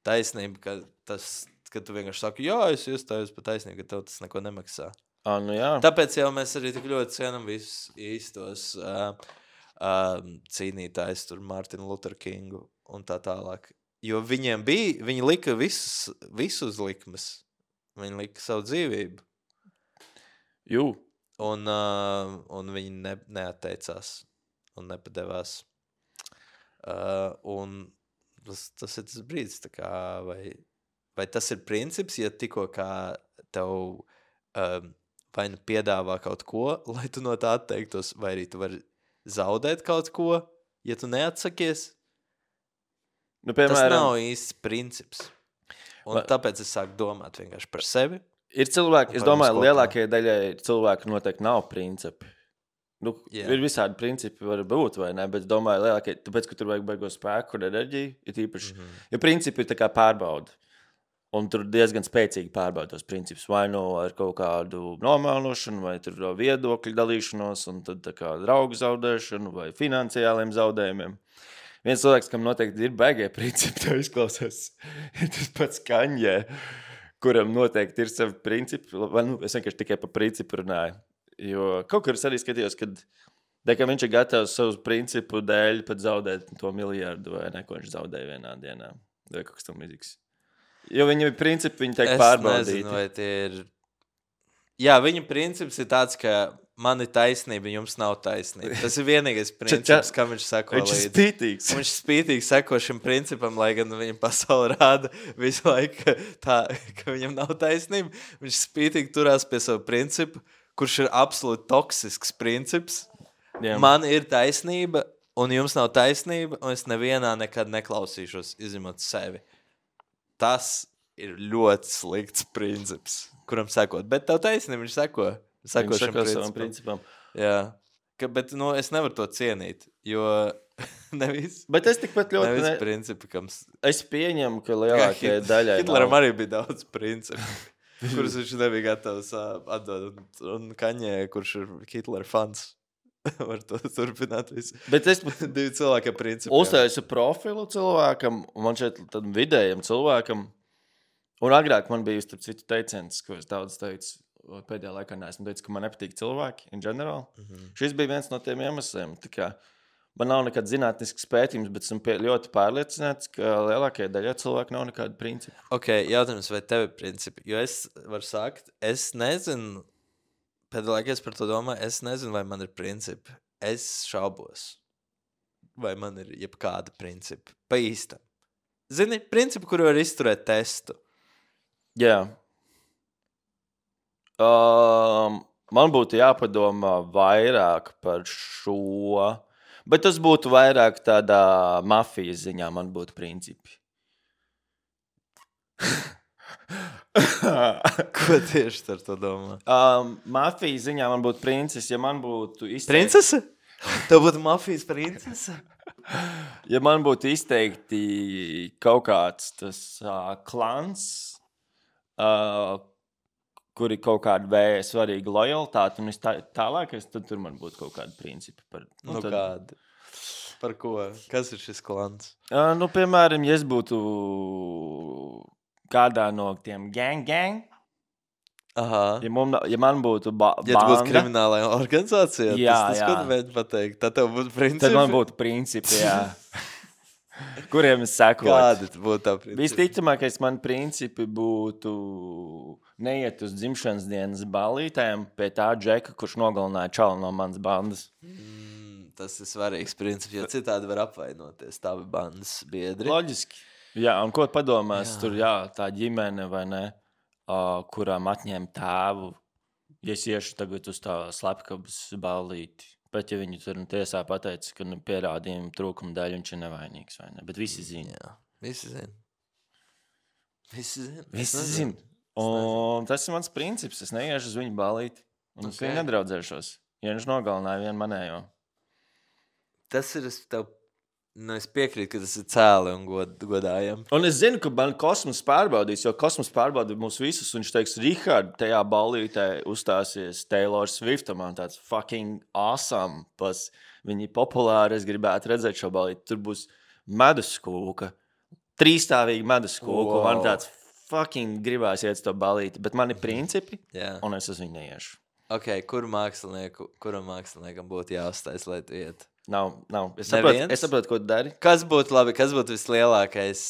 taisnību, ka, tas, ka tu vienkārši saki, jā, es iestājos par taisnību, ka tev tas neko nemaksā. Ah, nu jā. Tāpēc jau mēs arī tik ļoti cienam visus īstos uh, uh, cīnītājs, tur Martinu Luther Kingu un tā tālāk. Jo viņiem bija, viņi lika visus, visus likmes. Viņi lika savu dzīvību. Jū. Un, uh, un viņi ne, neatteicās un nepadevās. Uh, un tas, tas ir tas brīdis, tā kā, vai, vai tas ir princips, ja tikko kā tev um, vai nu piedāvā kaut ko, lai tu no tā atteiktos, vai arī tu vari zaudēt kaut ko, ja tu neatsakies. Nu, piemēram, tas nav īsts princips. Un va... tāpēc es sāku domāt vienkārši par sevi. Ir cilvēki, es domāju, lielākajai daļai cilvēku noteikti nav principi. Nu, yeah. Ir visādi principi, var būt, vai ne? Bet es domāju, lielākajai, tāpēc, ka tur vajag baigo spēku un enerģiju, ir īpaši. Mm-hmm. Jo principi ir tā kā pārbauda. Un tur diezgan spēcīgi pārbauda tos principus. Vai nu ar kaut kādu nomēlošanu, vai tur viedokļu dalīšanos, un tad tā kā draugu zaudēšanu, vai finansiāliem zaudējumiem. Viens cilvēks, kam noteikti ir baigie principi, tā izklausās, ir tas pats Kaņē, kuram noteikti ir savi principi. Vai, nu, es vienkārši tikai par principu runāju. Jo kaut kur es arī skatījos, kad ka viņš ir gatavs savu principu dēļ pat zaudēt to miljardu, vai ne, ko viņš zaudēja vienā dienā. Vai kaut kas tam līdzīgs. Jo viņam ir principi, viņi tiek pārbaudīti. Es nezinu, vai tie ir... Jā, viņa princips ir tāds, ka man ir taisnība, jums nav taisnība. Tas ir vienīgais princips, kam viņš sako līdzi. Viņš ir spītīgs. Viņš spītīgi sako šim principam, lai gan viņam pasauli rāda visu laiku, tā, ka viņam nav taisnība. Viņš spītīgi turās pie savu principu, kurš ir absolūti toksisks princips. Jā. Man ir taisnība, un jums nav taisnība, un es nevienā nekad neklausīšos, izņemot sevi. Tas ir ļoti slikts princips, kuram sekot. Bet tev taisnība, viņš seko. Seko viņš šim seko principam. savam principam. Jā. Ka, bet nu, es nevaru to cienīt, jo nevis... Bet es tikpat ļoti... Nevis ne... principi, kams... Es pieņemu, ka lielākajai daļai Hitleram nav... arī bija daudz principu, kurus viņš nebija gatavs atdot. Un, un Kaņē, kurš ir Hitlera fans, var to turpināt visu. Bet es divi cilvēki principi. Uztaisu profilu cilvēkam, un man šeit tam vidējam cilvēkam, un agrāk man bija starp citu teiciens, ko es daudz teicu, pēdējā laikā neesmu teicis, ka man nepatīk cilvēki in general. Mm-hmm. Šis bija viens no tiem iemesliem. Tā kā man nav nekad zinātnisks pētījums, bet esmu ļoti pārliecināts, ka lielākajai daļai cilvēku nav nekāda principa. Ok, jautājums, vai tev ir principi? Jo es varu sākt, es nezinu, pēdējā laikā es par to domāju, es nezinu, vai man ir principi. Es šaubos, vai man ir jebkāda principa. Pa īstam. Zini, principi, kuru var izturēt testu. Jā. Yeah. Um, man būtu jāpadomā vairāk par šo, bet tas būtu vairāk tādā mafijas ziņā, man būtu principi. Ko tieši ar to domā? Um, mafijas ziņā man būtu princis, ja man būtu izteikti... Princese? Tev būtu mafijas princese? Ja man būtu izteikti kaut kāds tas uh, klans, uh, kur ir kaut kāda vēja svarīga lojalitāte, un es tā, tālākais, tad tur man būtu kaut kādi principi. Par, nu, nu tad... kādi? Par ko? Kas ir šis klans? Uh, nu, piemēram, ja es būtu kādā no tiem gang gang, Aha. Ja, mum, ja man būtu ba- banda... Ja tu būtu kriminālajā organizācijā, jā, tas, tas jā. ko tu mēģi pateikt? Tad tev būtu principi? Tad man būtu principi, jā. Kuriem es sekotu. Kādi būtu tā principi? Visticamākais man principi būtu neiet uz dzimšanas dienas ballītēm pie tā džeka, kurš nogalināja čalu no manas bandas. Mm, tas ir svarīgs princips, jo citādi var apvainoties tavi bandas biedri. Loģiski. Jā, un ko padomās jā. Tur, jā, tā ģimene vai ne, uh, kurām atņēma tēvu, ja es iešu tagad uz tā slepkavas ballīti. Bet, ja viņi tur tiesā pateica, ka nu, pierādījumu trūkuma dēļ viņš ir nevainīgs, vai ne? Bet visi zina. Jā, visi zina. Visi zina. Visi zina. Un tas ir mans princips. Es neiešu uz viņu ballīti. Un okay. Es viņu nedraudzēšos. Ja viņš nogalināja vienu manējo. Tas ir, es tev... Nu, es piekrītu, ka tas ir cēli un god, godājam. Un es zinu, ka man kosmos pārbaudīs, jo kosmos pārbaudī mūs visus, un viņš teiks, Rihard, tajā ballītē uzstāsies Taylor Swift, man tāds fucking awesome, pas viņi populāri, es gribētu redzēt šo ballīti. Tur būs meduskūka, trīstāvīga meduskūka, wow. Man tāds fucking gribās iet to ballīti, bet man ir principi, yeah. Un es uz viņu neiešu. Ok, kuru mākslinieku, kuram māksliniekam būtu jāuztais, lai tu iet? Nav, nav. Es saprotu, es saprotu, ko tu dari. Kas būtu labi, kas būtu vislielākais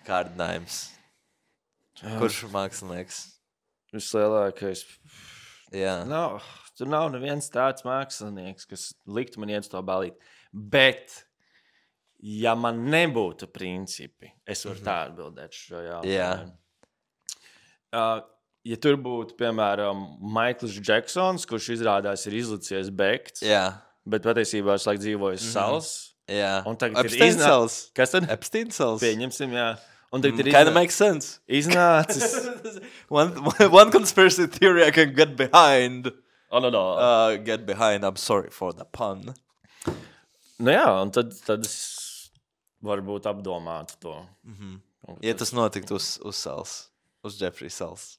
kārdinājums? Kurš mākslinieks? Vislielākais? Jā. Nav, tur nav neviens tāds mākslinieks, kas liktu man iet uz to ballīti. Bet, ja man nebūtu principi, es varu mm-hmm. tā atbildēt šo jautājumu. Jā. Uh, ja tur būtu, piemēram, Maikls Džeksons, kurš izrādās ir izlicies bekts, Jā. bet patiesībā viņš laik dzīvojas mm-hmm. sals. Jā. Un tagad Epstein ir iznā... sals. Kas tad? Epstein sals. Pieņemsim, jā. Un tagad Mm, ir Kinda iznā... makes sense. iznācis. one, one conspiracy theory I can get behind. Oh, no, no. Uh, get behind, I'm sorry for the pun. Nu jā, un tad, tad es varbūt apdomātu to. Mm-hmm. Ja tas notiktu uz, uz sals, uz Jeffrey sals.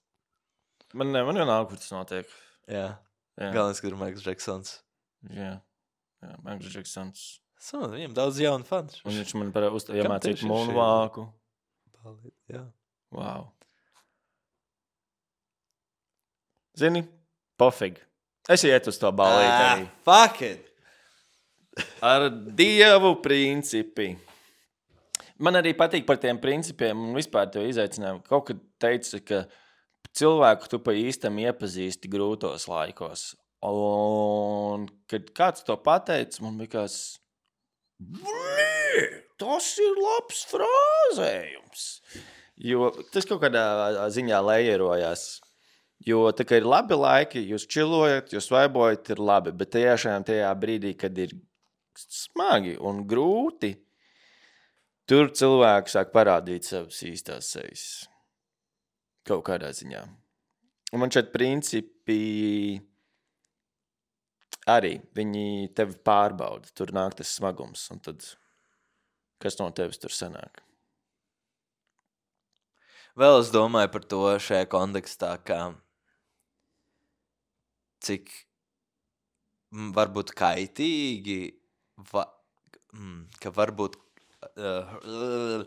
Man, ne, man jau nav, kur tas notiek. Jā. Jā. Galvenais, ka ir Maikls Džeksons. Jā, jā Maikls Džeksons. So, viņam daudz jaunu fans. Un viņš man par uz... Kam iemācīt tieši ir moonwalku. Jā. Wow. Zini, pofig. Es iet uz to balīti Ah, arī. fuck it! Ar dievu principi. Man arī patīk par tiem principiem un vispār tev izaicinājumu. Kaut kad teici, ka cilvēku tu pa īstam iepazīsti grūtos laikos. Un kad kāds to pateica, man bija kāds, tas ir labs frāzējums. Jo tas kaut kādā ziņā lejerojās. Jo tā kā ir labi laiki, jūs čilojat, jūs vaibojat, ir labi. Bet tiešām tajā brīdī, kad ir smagi un grūti, tur cilvēki sāk parādīt savas īstās sejas. Kaut kādā ziņā. Un man šeit principi arī, viņi tevi pārbauda. Tur nāk tas smagums. Un tad, kas no tevis tur sanāk? Vēl es domāju par to šajā kontekstā, kā cik varbūt kaitīgi, va, ka varbūt uh,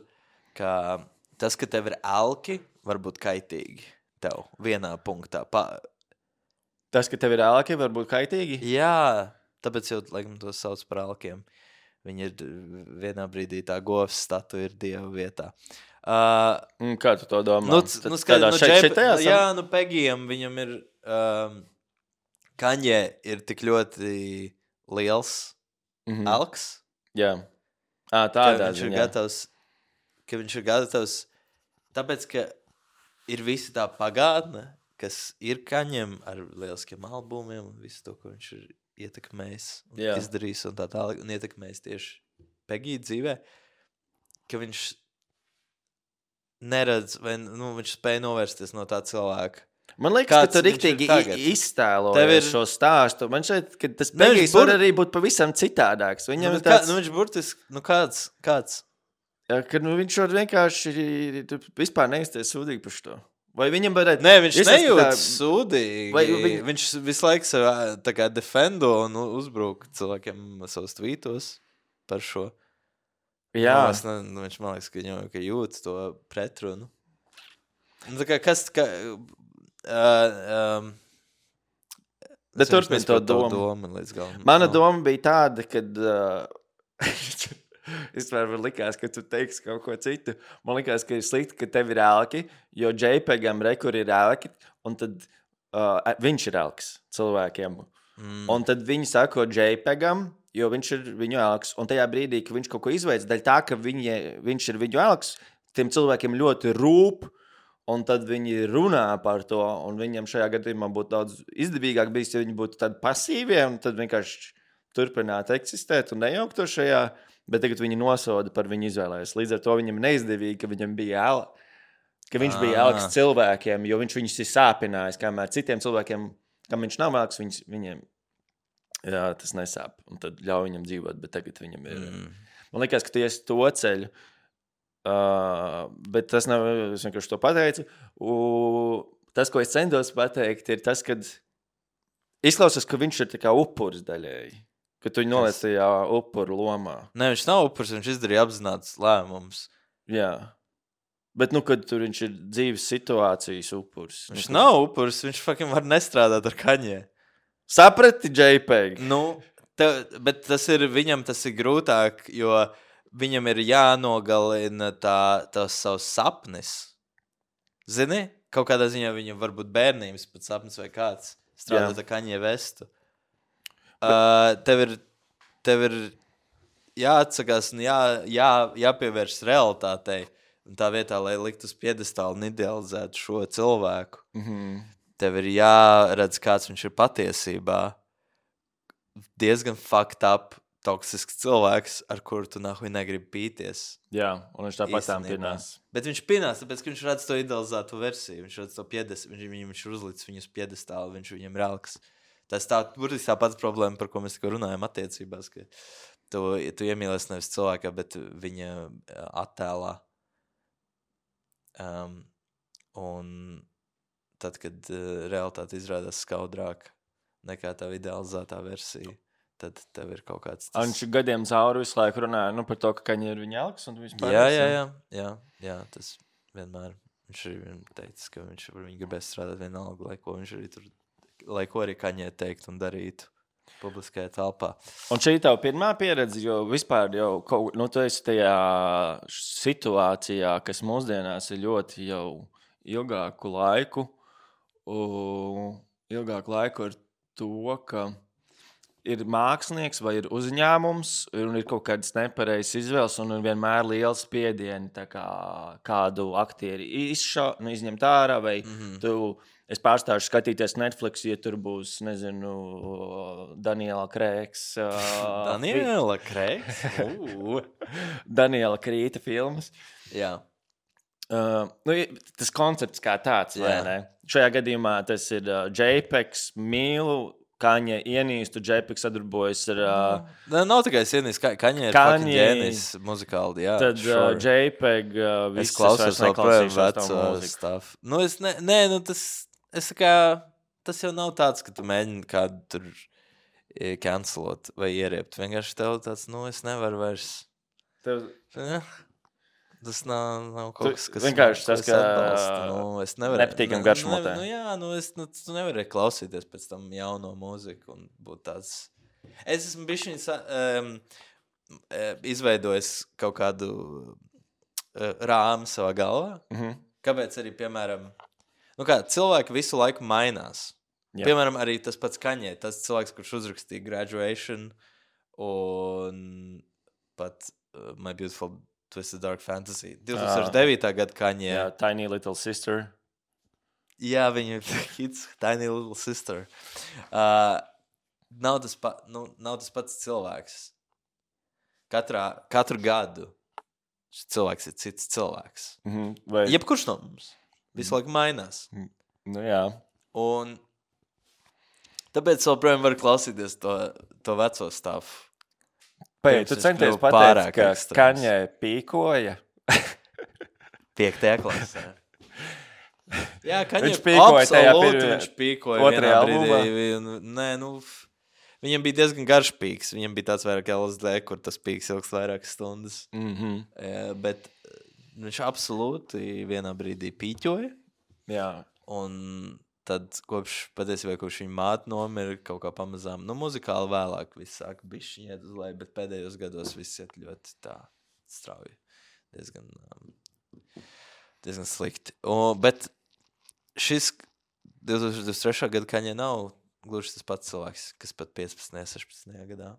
ka tas, ka tev ir elki, varbūt kaitīgi tev vienā punktā. Pa... Tas, ka tev ir elki, varbūt kaitīgi? Jā, tāpēc jau, laikam, to sauc par elkiem. Viņi ir vienā brīdī tā govs statu ir Dieva vietā. Uh, Kā tu to domā? Nu, Tad, nu, skat, tādā nu, šeit, džep, šeit tajā nu, jā, nu, Pegijam viņam ir, um, Kaņē ir tik ļoti liels Mhm. elks, Jā. Ā, ka tādā viņš ir ziņā. gatavs, ka viņš ir gatavs, tāpēc, ka ir visi tā pagātne, kas ir Kaņem ar lieliskiem albumiem un visu to, ko viņš ir ietekmējis un Jā. izdarījis un tā tālāk, un ietekmējis tieši Pegija dzīvē, ka viņš neredz, vai nu, viņš spēja novērsties no tā cilvēka. Man liekas, Kāds ka tu viņš ir riktīgi tagad? iztēlojies Tev ir- šo stāstu. Man šeit, ka tas Ne, viņš Pegijs bur- var arī būt pavisam citādāks. Viņam Nu, ir bet kā, tāds, nu, viņš burtiski, nu kāds, kāds? jā, ka nu, viņš var vienkārši tu vispār neizties sūdīgi par šo. Vai viņam varētu... Nē, viņš Iesāst nejūt tā- sūdīgi. Vai viņ- Viņš visu laiku sev ā, tā kā defendo un uzbruk cilvēkiem savus tvītos par šo. Jā, Nu, es ne, nu, viņš man liekas, ka viņam ka jūt to pretrunu. Nu, tā kā kas... Kā, uh, um, Bet es vienkārši turpini to nesapratu tavu domu. domu līdz galam. mana Nu. doma bija tāda, ka... Uh, es varu likās, ka tu teiksi kaut ko citu. Man likās, ka ir slikti, ka tev ir elki, jo JPEGam rekur ir elki, un tad uh, viņš ir elks cilvēkiem. Mm. Un tad viņi sako JPEGam, jo viņš ir viņu elks. Un tajā brīdī, kad viņš kaut ko izveic, daļ tā, ka viņi, viņš ir viņu elks, tiem cilvēkiem ļoti rūp, un tad viņi runā par to, un viņam šajā gadījumā būtu daudz izdevīgāk bijis, ja viņi būtu tādi pasīvie, un tad vienkārši turpinātu eksistēt un nejauktu šajā, bet tagad viņi nosoda par viņu izvēlēs. Līdz ar to viņam neizdevīgi, ka viņam bija el, ka viņš bija Ah. elks cilvēkiem, jo viņš viņus ir sāpinājis, kamēr citiem cilvēkiem, kam viņš nav elks, viņus, viņiem jā, tas nesāp, un tad ļauj viņam dzīvot, bet tagad viņam ir... Mm. Man liekas, ka tu esi to ceļu, uh, bet tas nav, es vienkārši to pateicu. U, tas, ko es centos pateikt, ir tas, kad izklausās, ka viņš ir tā kā upuris daļēji, ka tu viņu noliec tajā upuru lomā. Nē, viņš nav upurs, viņš izdarīja apzināts lēmums. Jā. Bet, nu, kad tur viņš ir dzīves situācijas upuris. Viņš nu, nav upurs, viņš fucking var nestrādāt ar Kaņē. Saprati, JPEG? Nu, tev, bet tas ir, viņam tas ir grūtāk, jo viņam ir jānogalina tā, tās savs sapnis. Zini? Kaut kādā ziņā viņam var būt bērnības pat sapnis vai kāds strādāt ar Kaņē Vestu. Uh, tev ir, tev ir jāatsakās un jā, jā, jāpievērš realitātei. tā vietā, lai likt uz piedestālu un idealizētu šo cilvēku, Mhm. tev ir jāredz, kāds viņš ir patiesībā. Diezgan fucked up, toksisks cilvēks, ar kuru tu nahuj negribi pīties. Jā, un viņš tāpat tām Īstenībā. pinās. Bet viņš pinās, tāpēc, ka viņš redz to idealizēto versiju. Viņš redz to piedestālu, viņš, viņam viņš ir uzlicis viņu uz piedestālu, viņš viņam ir relks. Tas tā, burtiski tā pats problēma, par ko mēs tikko runājam attiecībās, ka tu, tu iemīlies nevis cilvēkā, bet viņa attēlā. Um, un tad, kad uh, realitāte izrādās skaudrāk nekā tā idealizētā versija, tad tev ir kaut kāds Tas... Viņš gadiem cauri visu laiku runāja nu, par to, ka Kaņa ir viņa elks. Un vispār jā, jā, jā, jā, jā, tas vienmēr. Viņš arī teica, ka viņš ar viņu gribēs strādāt vienalga, lai ko viņš arī tur, lai ko arī Kaņē teikt un darītu publiskajā telpā. Un šī tev pirmā pieredze, jo vispār jau, kaut, nu, tu esi tajā situācijā, kas mūsdienās ir ļoti jau ilgāku laiku, u, ilgāku laiku ar to, ka ir mākslinieks vai ir uzņēmums, un ir kaut kādas nepareizas izvēles, un ir vienmēr liels spiedieni, tā kā kādu aktieri izša, nu, izņemt ārā, vai mm-hmm. tu, es pārstāšu skatīties Netflix, ja tur būs, nezinu, Daniela Krēks. Daniela Krēks? Uh. Daniela Krīta filmas. Jā. Uh, nu, tas koncepts kā tāds, vai ne? Šajā gadījumā tas ir uh, JPEGs, mīlu, Kaņa ienīstu, JPEG sadarbojas ar... Uh, no, nav tikai es ienīstu, Ka, Kaņa ir fucking ģēnis muzikāli, jā. Tad sure. uh, JPEG uh, viss es klausos vēl projām veco stuff. Nu, es ne, nē, nu tas, es kā, tas jau nav tāds, ka tu mēģini kādu tur cancelot vai ieriept. Vienkārši tev tāds, nu, es nevaru vairs... Tev... Ja? Tas nav, nav kaut kas, kas vienkārši tas, ka nu, es nevaru, nepatīkam garšmotē. Nu, jā, nu, es nu, tu nevari klausīties pēc tam jauno mūziku un būt tāds... Es esmu bišķiņ um, izveidojis kaut kādu uh, rāmu savā galvā. Mm-hmm. Kāpēc arī, piemēram, nu kā, cilvēki visu laiku mainās. Jā. Piemēram, arī tas pats Kaņē, tas cilvēks, kurš uzrakstīja Graduation un pat uh, My Beautiful Twisted Dark Fantasy. divtūkstoš devītā gada Kaņē. Jā, Tiny Little Sister. Jā, viņa ir hits, Tiny Little Sister. Uh, nav, tas pa, nu, nav tas pats cilvēks. Katrā, katru gadu šis cilvēks ir cits cilvēks. Mm-hmm. Vai... Jebkurš no mums. Visu laiku mainās. Nu jā. Un tāpēc joprojām var klausīties to, to veco stāvu. Pēc, tu centies pateikt, ka ekstrēms. Kaņē pīkoja. Piektajā klasē. Jā, Kaņē viņš pīkoja tajā pirmajā. Viņš pīkoja vienā brīdī. Nē, nu, viņam bija diezgan garš pīks. Viņam bija tāds vairāk L S D, kur tas pīks ilgst vairākas stundas. Mm-hmm. Jā, bet viņš absolūti vienā brīdī pīķoja. Jā. Un tad kopš, patiesībā, kopš viņa māte nomira, kaut kā pamazām, nu, muzikāli vēlāk viss sāk bišķiņ iet uz leju, bet pēdējos gados viss iet ļoti tā strauji. Diezgan, um, diezgan slikti. O, bet šis divtūkstoš divdesmit trešā gada Kaņē nav gluži tas pats cilvēks, kas pat piecpadsmitajā, sešpadsmitajā gadā,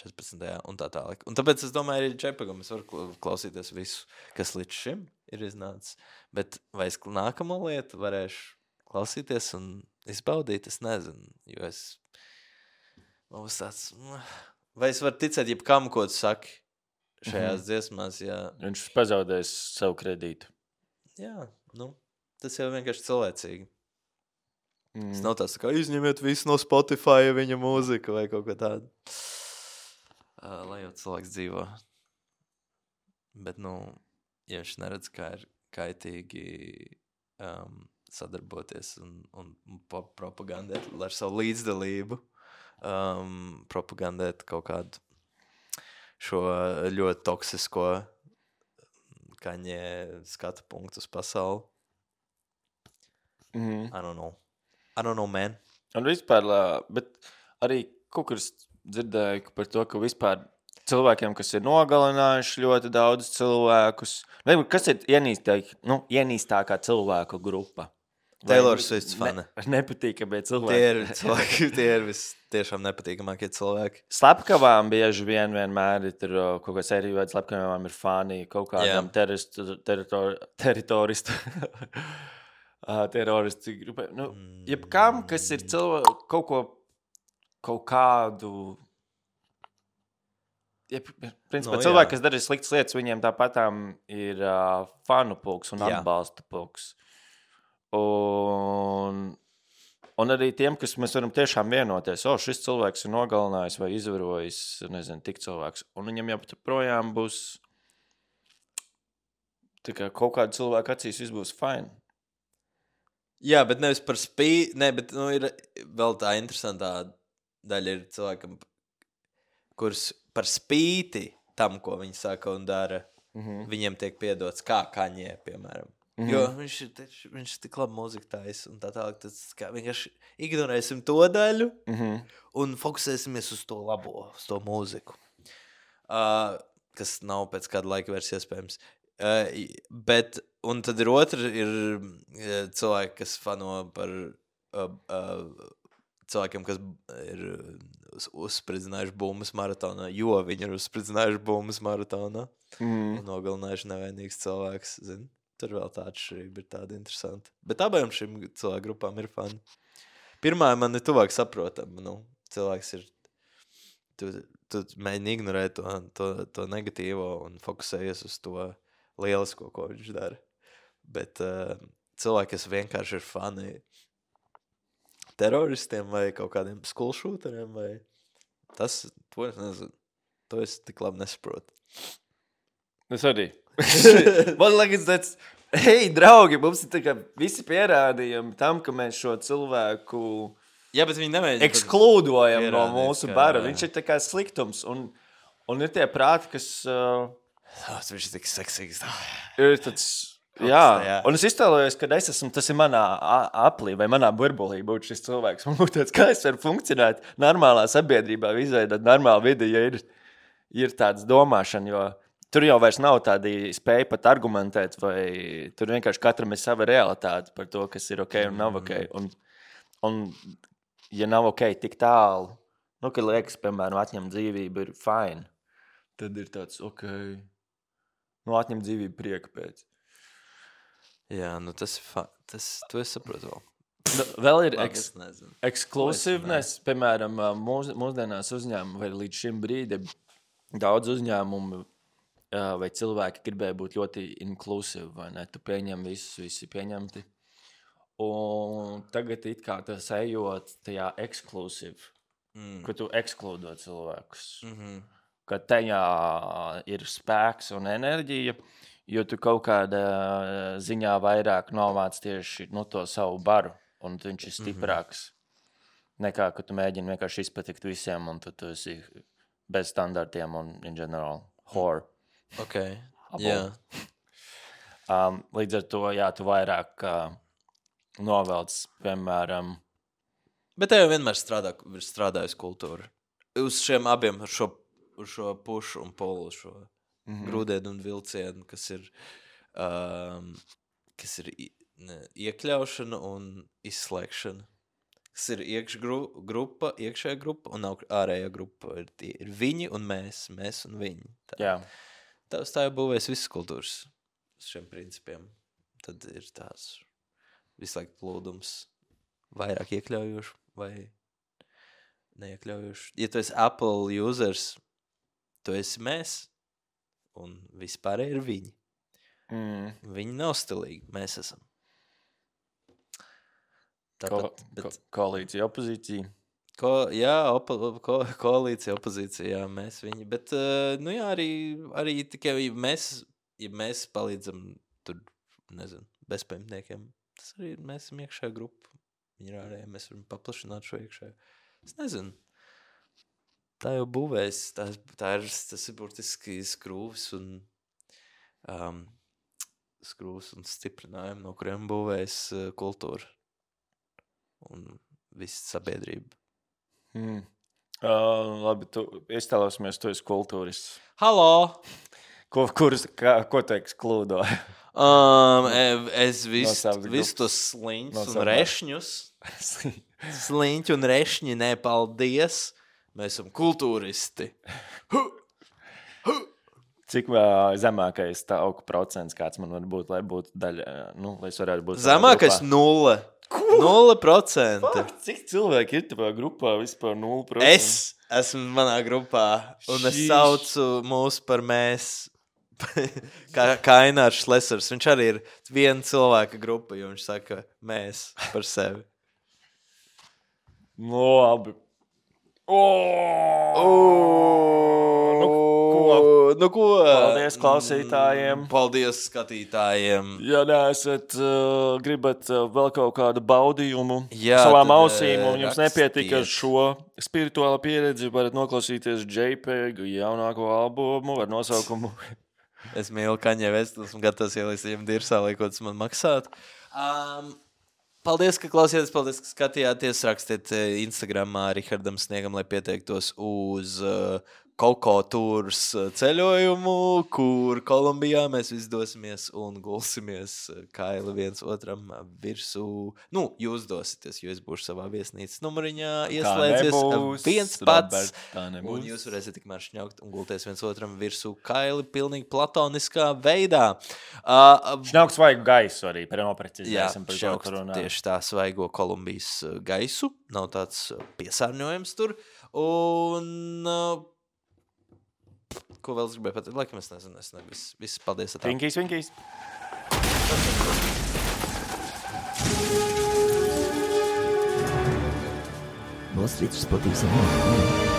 četrpadsmitajā un tā tālāk. Un tāpēc es domāju, arī JPEGam es varu klausīties visu, kas līdz šim ir iznācis. Bet vai es nākamo lietu varēšu klausīties un izbaudīt, es nezinu, jo es mums tāds, vai es varu ticēt jebkam, ko tu saki šajās mm-hmm. dziesmās, jā. Viņš pazaudēs savu kredītu. Jā, nu, tas jau vienkārši cilvēcīgi. Mm. Tas nav tāds, kā izņemiet visu no Spotify viņa mūzika vai kaut ko tādu. Uh, lai jau cilvēks dzīvo. Bet, nu, ja viņš neredz, kā ir kaitīgi um, sadarboties un, un propagandēt ar savu līdzdalību, um, propagandēt kaut kādu šo ļoti toksisko Kaņē skatu punktu uz pasauli. Mm-hmm. I don't know. I don't know, man. Un vispār, bet arī kaut kur dzirdēju par to, ka vispār cilvēkiem, kas ir nogalinājuši ļoti daudz cilvēkus, vai kas ir ienīstāk, nu, ienīstākā cilvēku grupa? Taylor Swift fani. Ne, nepatīkamie cilvēki. Tie ir cilvēki, tie ir vis tiešām nepatīkamākie cilvēki. Slepkavām bieži vien vienmēr ir tur kaut kāds arī veids, slepkavām ir fani kaut kādām teroristu, teritor, teritoristu, teroristu grupai. Nu, jebkam, kas ir cilvēki, kaut ko, kaut kādu... Ja, principā, no, cilvēki, kas dara sliktas lietas, viņiem tāpatām ir uh, fanu pulks un jā. Atbalsta pulks. Un, un arī tiem, kas mēs varam tiešām vienoties, o, šis cilvēks ir nogalinājis vai izvarojis, nezinu, tik cilvēks. Un viņam jau projām būs tā kā kaut kāda cilvēka acīs viss būs fine. Jā, bet nevis par spīti, ne, bet nu, ir vēl tā interesantā daļa ir cilvēkam, kurus par spīti tam, ko viņi saka un dara, mm-hmm. viņiem tiek piedots kā Kaņē, piemēram. Mm-hmm. Jo viņš ir, viņš ir tik labi mūzika taisa un tā tālāk, tas kā vienkārši ignorēsim to daļu mm-hmm. un fokusēsimies uz to labo, uz to mūziku. Uh, kas nav pēc kāda laika vairs iespējams. Uh, bet, un tad ir otra, ir uh, cilvēki, kas fano par uh, uh, cilvēkiem, kas ir uz, uzspridzinājuši bumbas maratonā, jo viņi ir uzspridzinājuši bumbas maratonā mm. un nogalinājuši nevainīgs cilvēks, zin. Tur vēl tā atšķirība ir tāda interesanta. Bet abām šīm cilvēku grupām ir fani. Pirmā man ir tuvāk saprotama, nu, cilvēks ir, tu, tu mēģini ignorēt to, to, to negatīvo un fokusējies uz to lielisko, ko viņš dara. Bet uh, cilvēki, kas vienkārši ir fani teroristiem vai kaut kādiem school shooteriem vai tas, to es nezinu. To es tik labi nesaprotu. Es arī. Man liekas, tāds, hei, draugi, mums ir tā kā visi pierādījumi tam, ka mēs šo cilvēku jā, bet viņi nemēģina eksklūdojam no mūsu bara. Viņš ir tā kā sliktums. Un, un ir tie prāti, kas... Uh, oh, viņš ir tik seksīgs. Ir tāds... Jā. jā, un es iztēlojos, kad es esmu, tas ir manā aplī vai manā burbulī būt šis cilvēks. Man būtu tāds, kā es varu funkcionēt normālā sabiedrībā, izveidot normālu vidi, ja ir, ir tāds domāšana, jo tur jau vairs nav tādi spēja pat argumentēt, vai tur vienkārši katram ir sava realitāte par to, kas ir ok un nav ok. Un, un ja nav ok tik tālu, nu, kad liekas, piemēram, atņemt dzīvību ir fine, tad ir tāds, ok, nu, atņemt dzīvību prieka pēc. Jā, nu tas ir fa... tas, to es saprotu vēl. Nu, vēl ir eks... exclusiveness, piemēram, mūs, mūsdienās uzņēmumi vai līdz šim brīdim daudz uzņēmumu vai cilvēki gribēja būt ļoti inclusive, vai ne? Tu pieņem visus, visi pieņemti. Un tagad it kā tas ejot tajā exclusive, mm. ka tu ekskludo cilvēkus. Mm-hmm. Ka tajā ir spēks un enerģija, jo tu kaut kādā ziņā vairāk novāc tieši no to savu baru, un viņš ir stiprāks. Mm-hmm. Nekā, ka tu mēģini vienkārši izpatikt visiem, un tu, tu esi bez standartiem un, in general, whore. Ok, jā. Um, līdz ar to, jā, tu vairāk uh, novelc, piemēram... Bet te jau vienmēr strādā, strādājusi kultūra. Uz šiem abiem, uz šo, uz šo pušu un polu, šo... Mm-hmm. grūdienu un vilcienu, kas ir, um, kas ir ne, iekļaušana un izslēgšana. Kas ir iekšgrupa, iekšējā grupa un ārējā grupa. Ir, tie, ir viņi un mēs, mēs un viņi. Tā, Jā. tā, tā jau būvēs visas kultūras uz šiem principiem. Tad ir tās visu laiku plūdums vairāk iekļaujoši vai neiekļaujoši. Ja tu esi Apple users, tu esi mēs. Un vispār ir viņi. Mm. Viņi nav stilīgi, mēs esam. Tāpat, ko, bet... ko, koalīcija, opozīcija. Ko, jā, opo, ko, koalīcija, opozīcija, jā, mēs viņi. Bet, uh, nu jā, arī, arī tikai ja mēs, ja mēs palīdzam tur, nezinu, bezpajumtniekiem, tas arī mēs esam iekšējā grupa. Viņi ir ārēji, mēs varam paplašināt šo iekšēju. Es nezinu. Tā jau būvēs, tā, tā ir, tas ir burtiski skrūvis un um, skrūvis un stiprinājumi, no kuriem būvēs uh, kultūra un visa sabiedrība. Hmm. Uh, labi, tu iztēlosimies, tu esi kultūrists. Halo! Ko, kurus, kā, ko teiks klūdo? Um, es visu savas vis grupas. tos sliņus No un savas. rešņus. Sliņķi un rešņi, nē, paldies. Mēs esam kultūristi. Cik uh, zemākais tauku procents, kāds man var būt, lai būtu daļa, nu, lai es varētu būt savā Zemākais grupā? nulle. Nulle procenti. Fuck, cik cilvēki ir tavā grupā vispār nulle procenti? Es esmu manā grupā, un es Šīš. saucu mūs par mēs. Kā Kainārs Šlesers. Viņš arī ir viena cilvēka grupa, jo viņš saka mēs par sevi. No, labi. Oh! Nu, ko? Nu, ko? Paldies klausītājiem. Mm, Paldies skatītājiem. Ja neesat, uh, gribat uh, vēl kaut kādu baudījumu Jā, savām tad, ausīm, un jums rakstiet. nepietika šo spirituālo pieredzi, varat noklausīties JPEG jaunāko albumu ar nosaukumu. Es mīlu Kaņē Vestu, esmu gatavs ielīst viņam dirsā, lai ko tas man maksātu. Um, paldies, ka klausījāties, paldies, ka skatījāties. Rakstiet eh, Instagramā Rihardam Sniegam, lai pieteiktos uz uh, Koko tūrs uh, ceļojumu, kur Kolumbijā mēs visi dosimies un gulsimies uh, kaili viens otram uh, virsū. Nu, jūs dosieties, jo es būšu savā viesnīcas numuriņā ieslēdzies uh, nebūs, viens pats. Robert, tā nebūs. Un jūs varēsiet tikmēr šņaukt un gulties viens otram virsū kaili pilnīgi platoniskā veidā. Uh, Šņauks vajag gaisu arī, Jā, noprecizēsim par ko šaukt tur runā. tieši tā svaigo Kolumbijas uh, gaisu. Nav tāds uh, piesārņojums tur. Un uh, ko vēl es gribēju pateikt? Laikam es nezinu. Es nezinu. Viss, viss paldies. atā. Vinkīs, vinkīs. Wall Street Sporting Salon.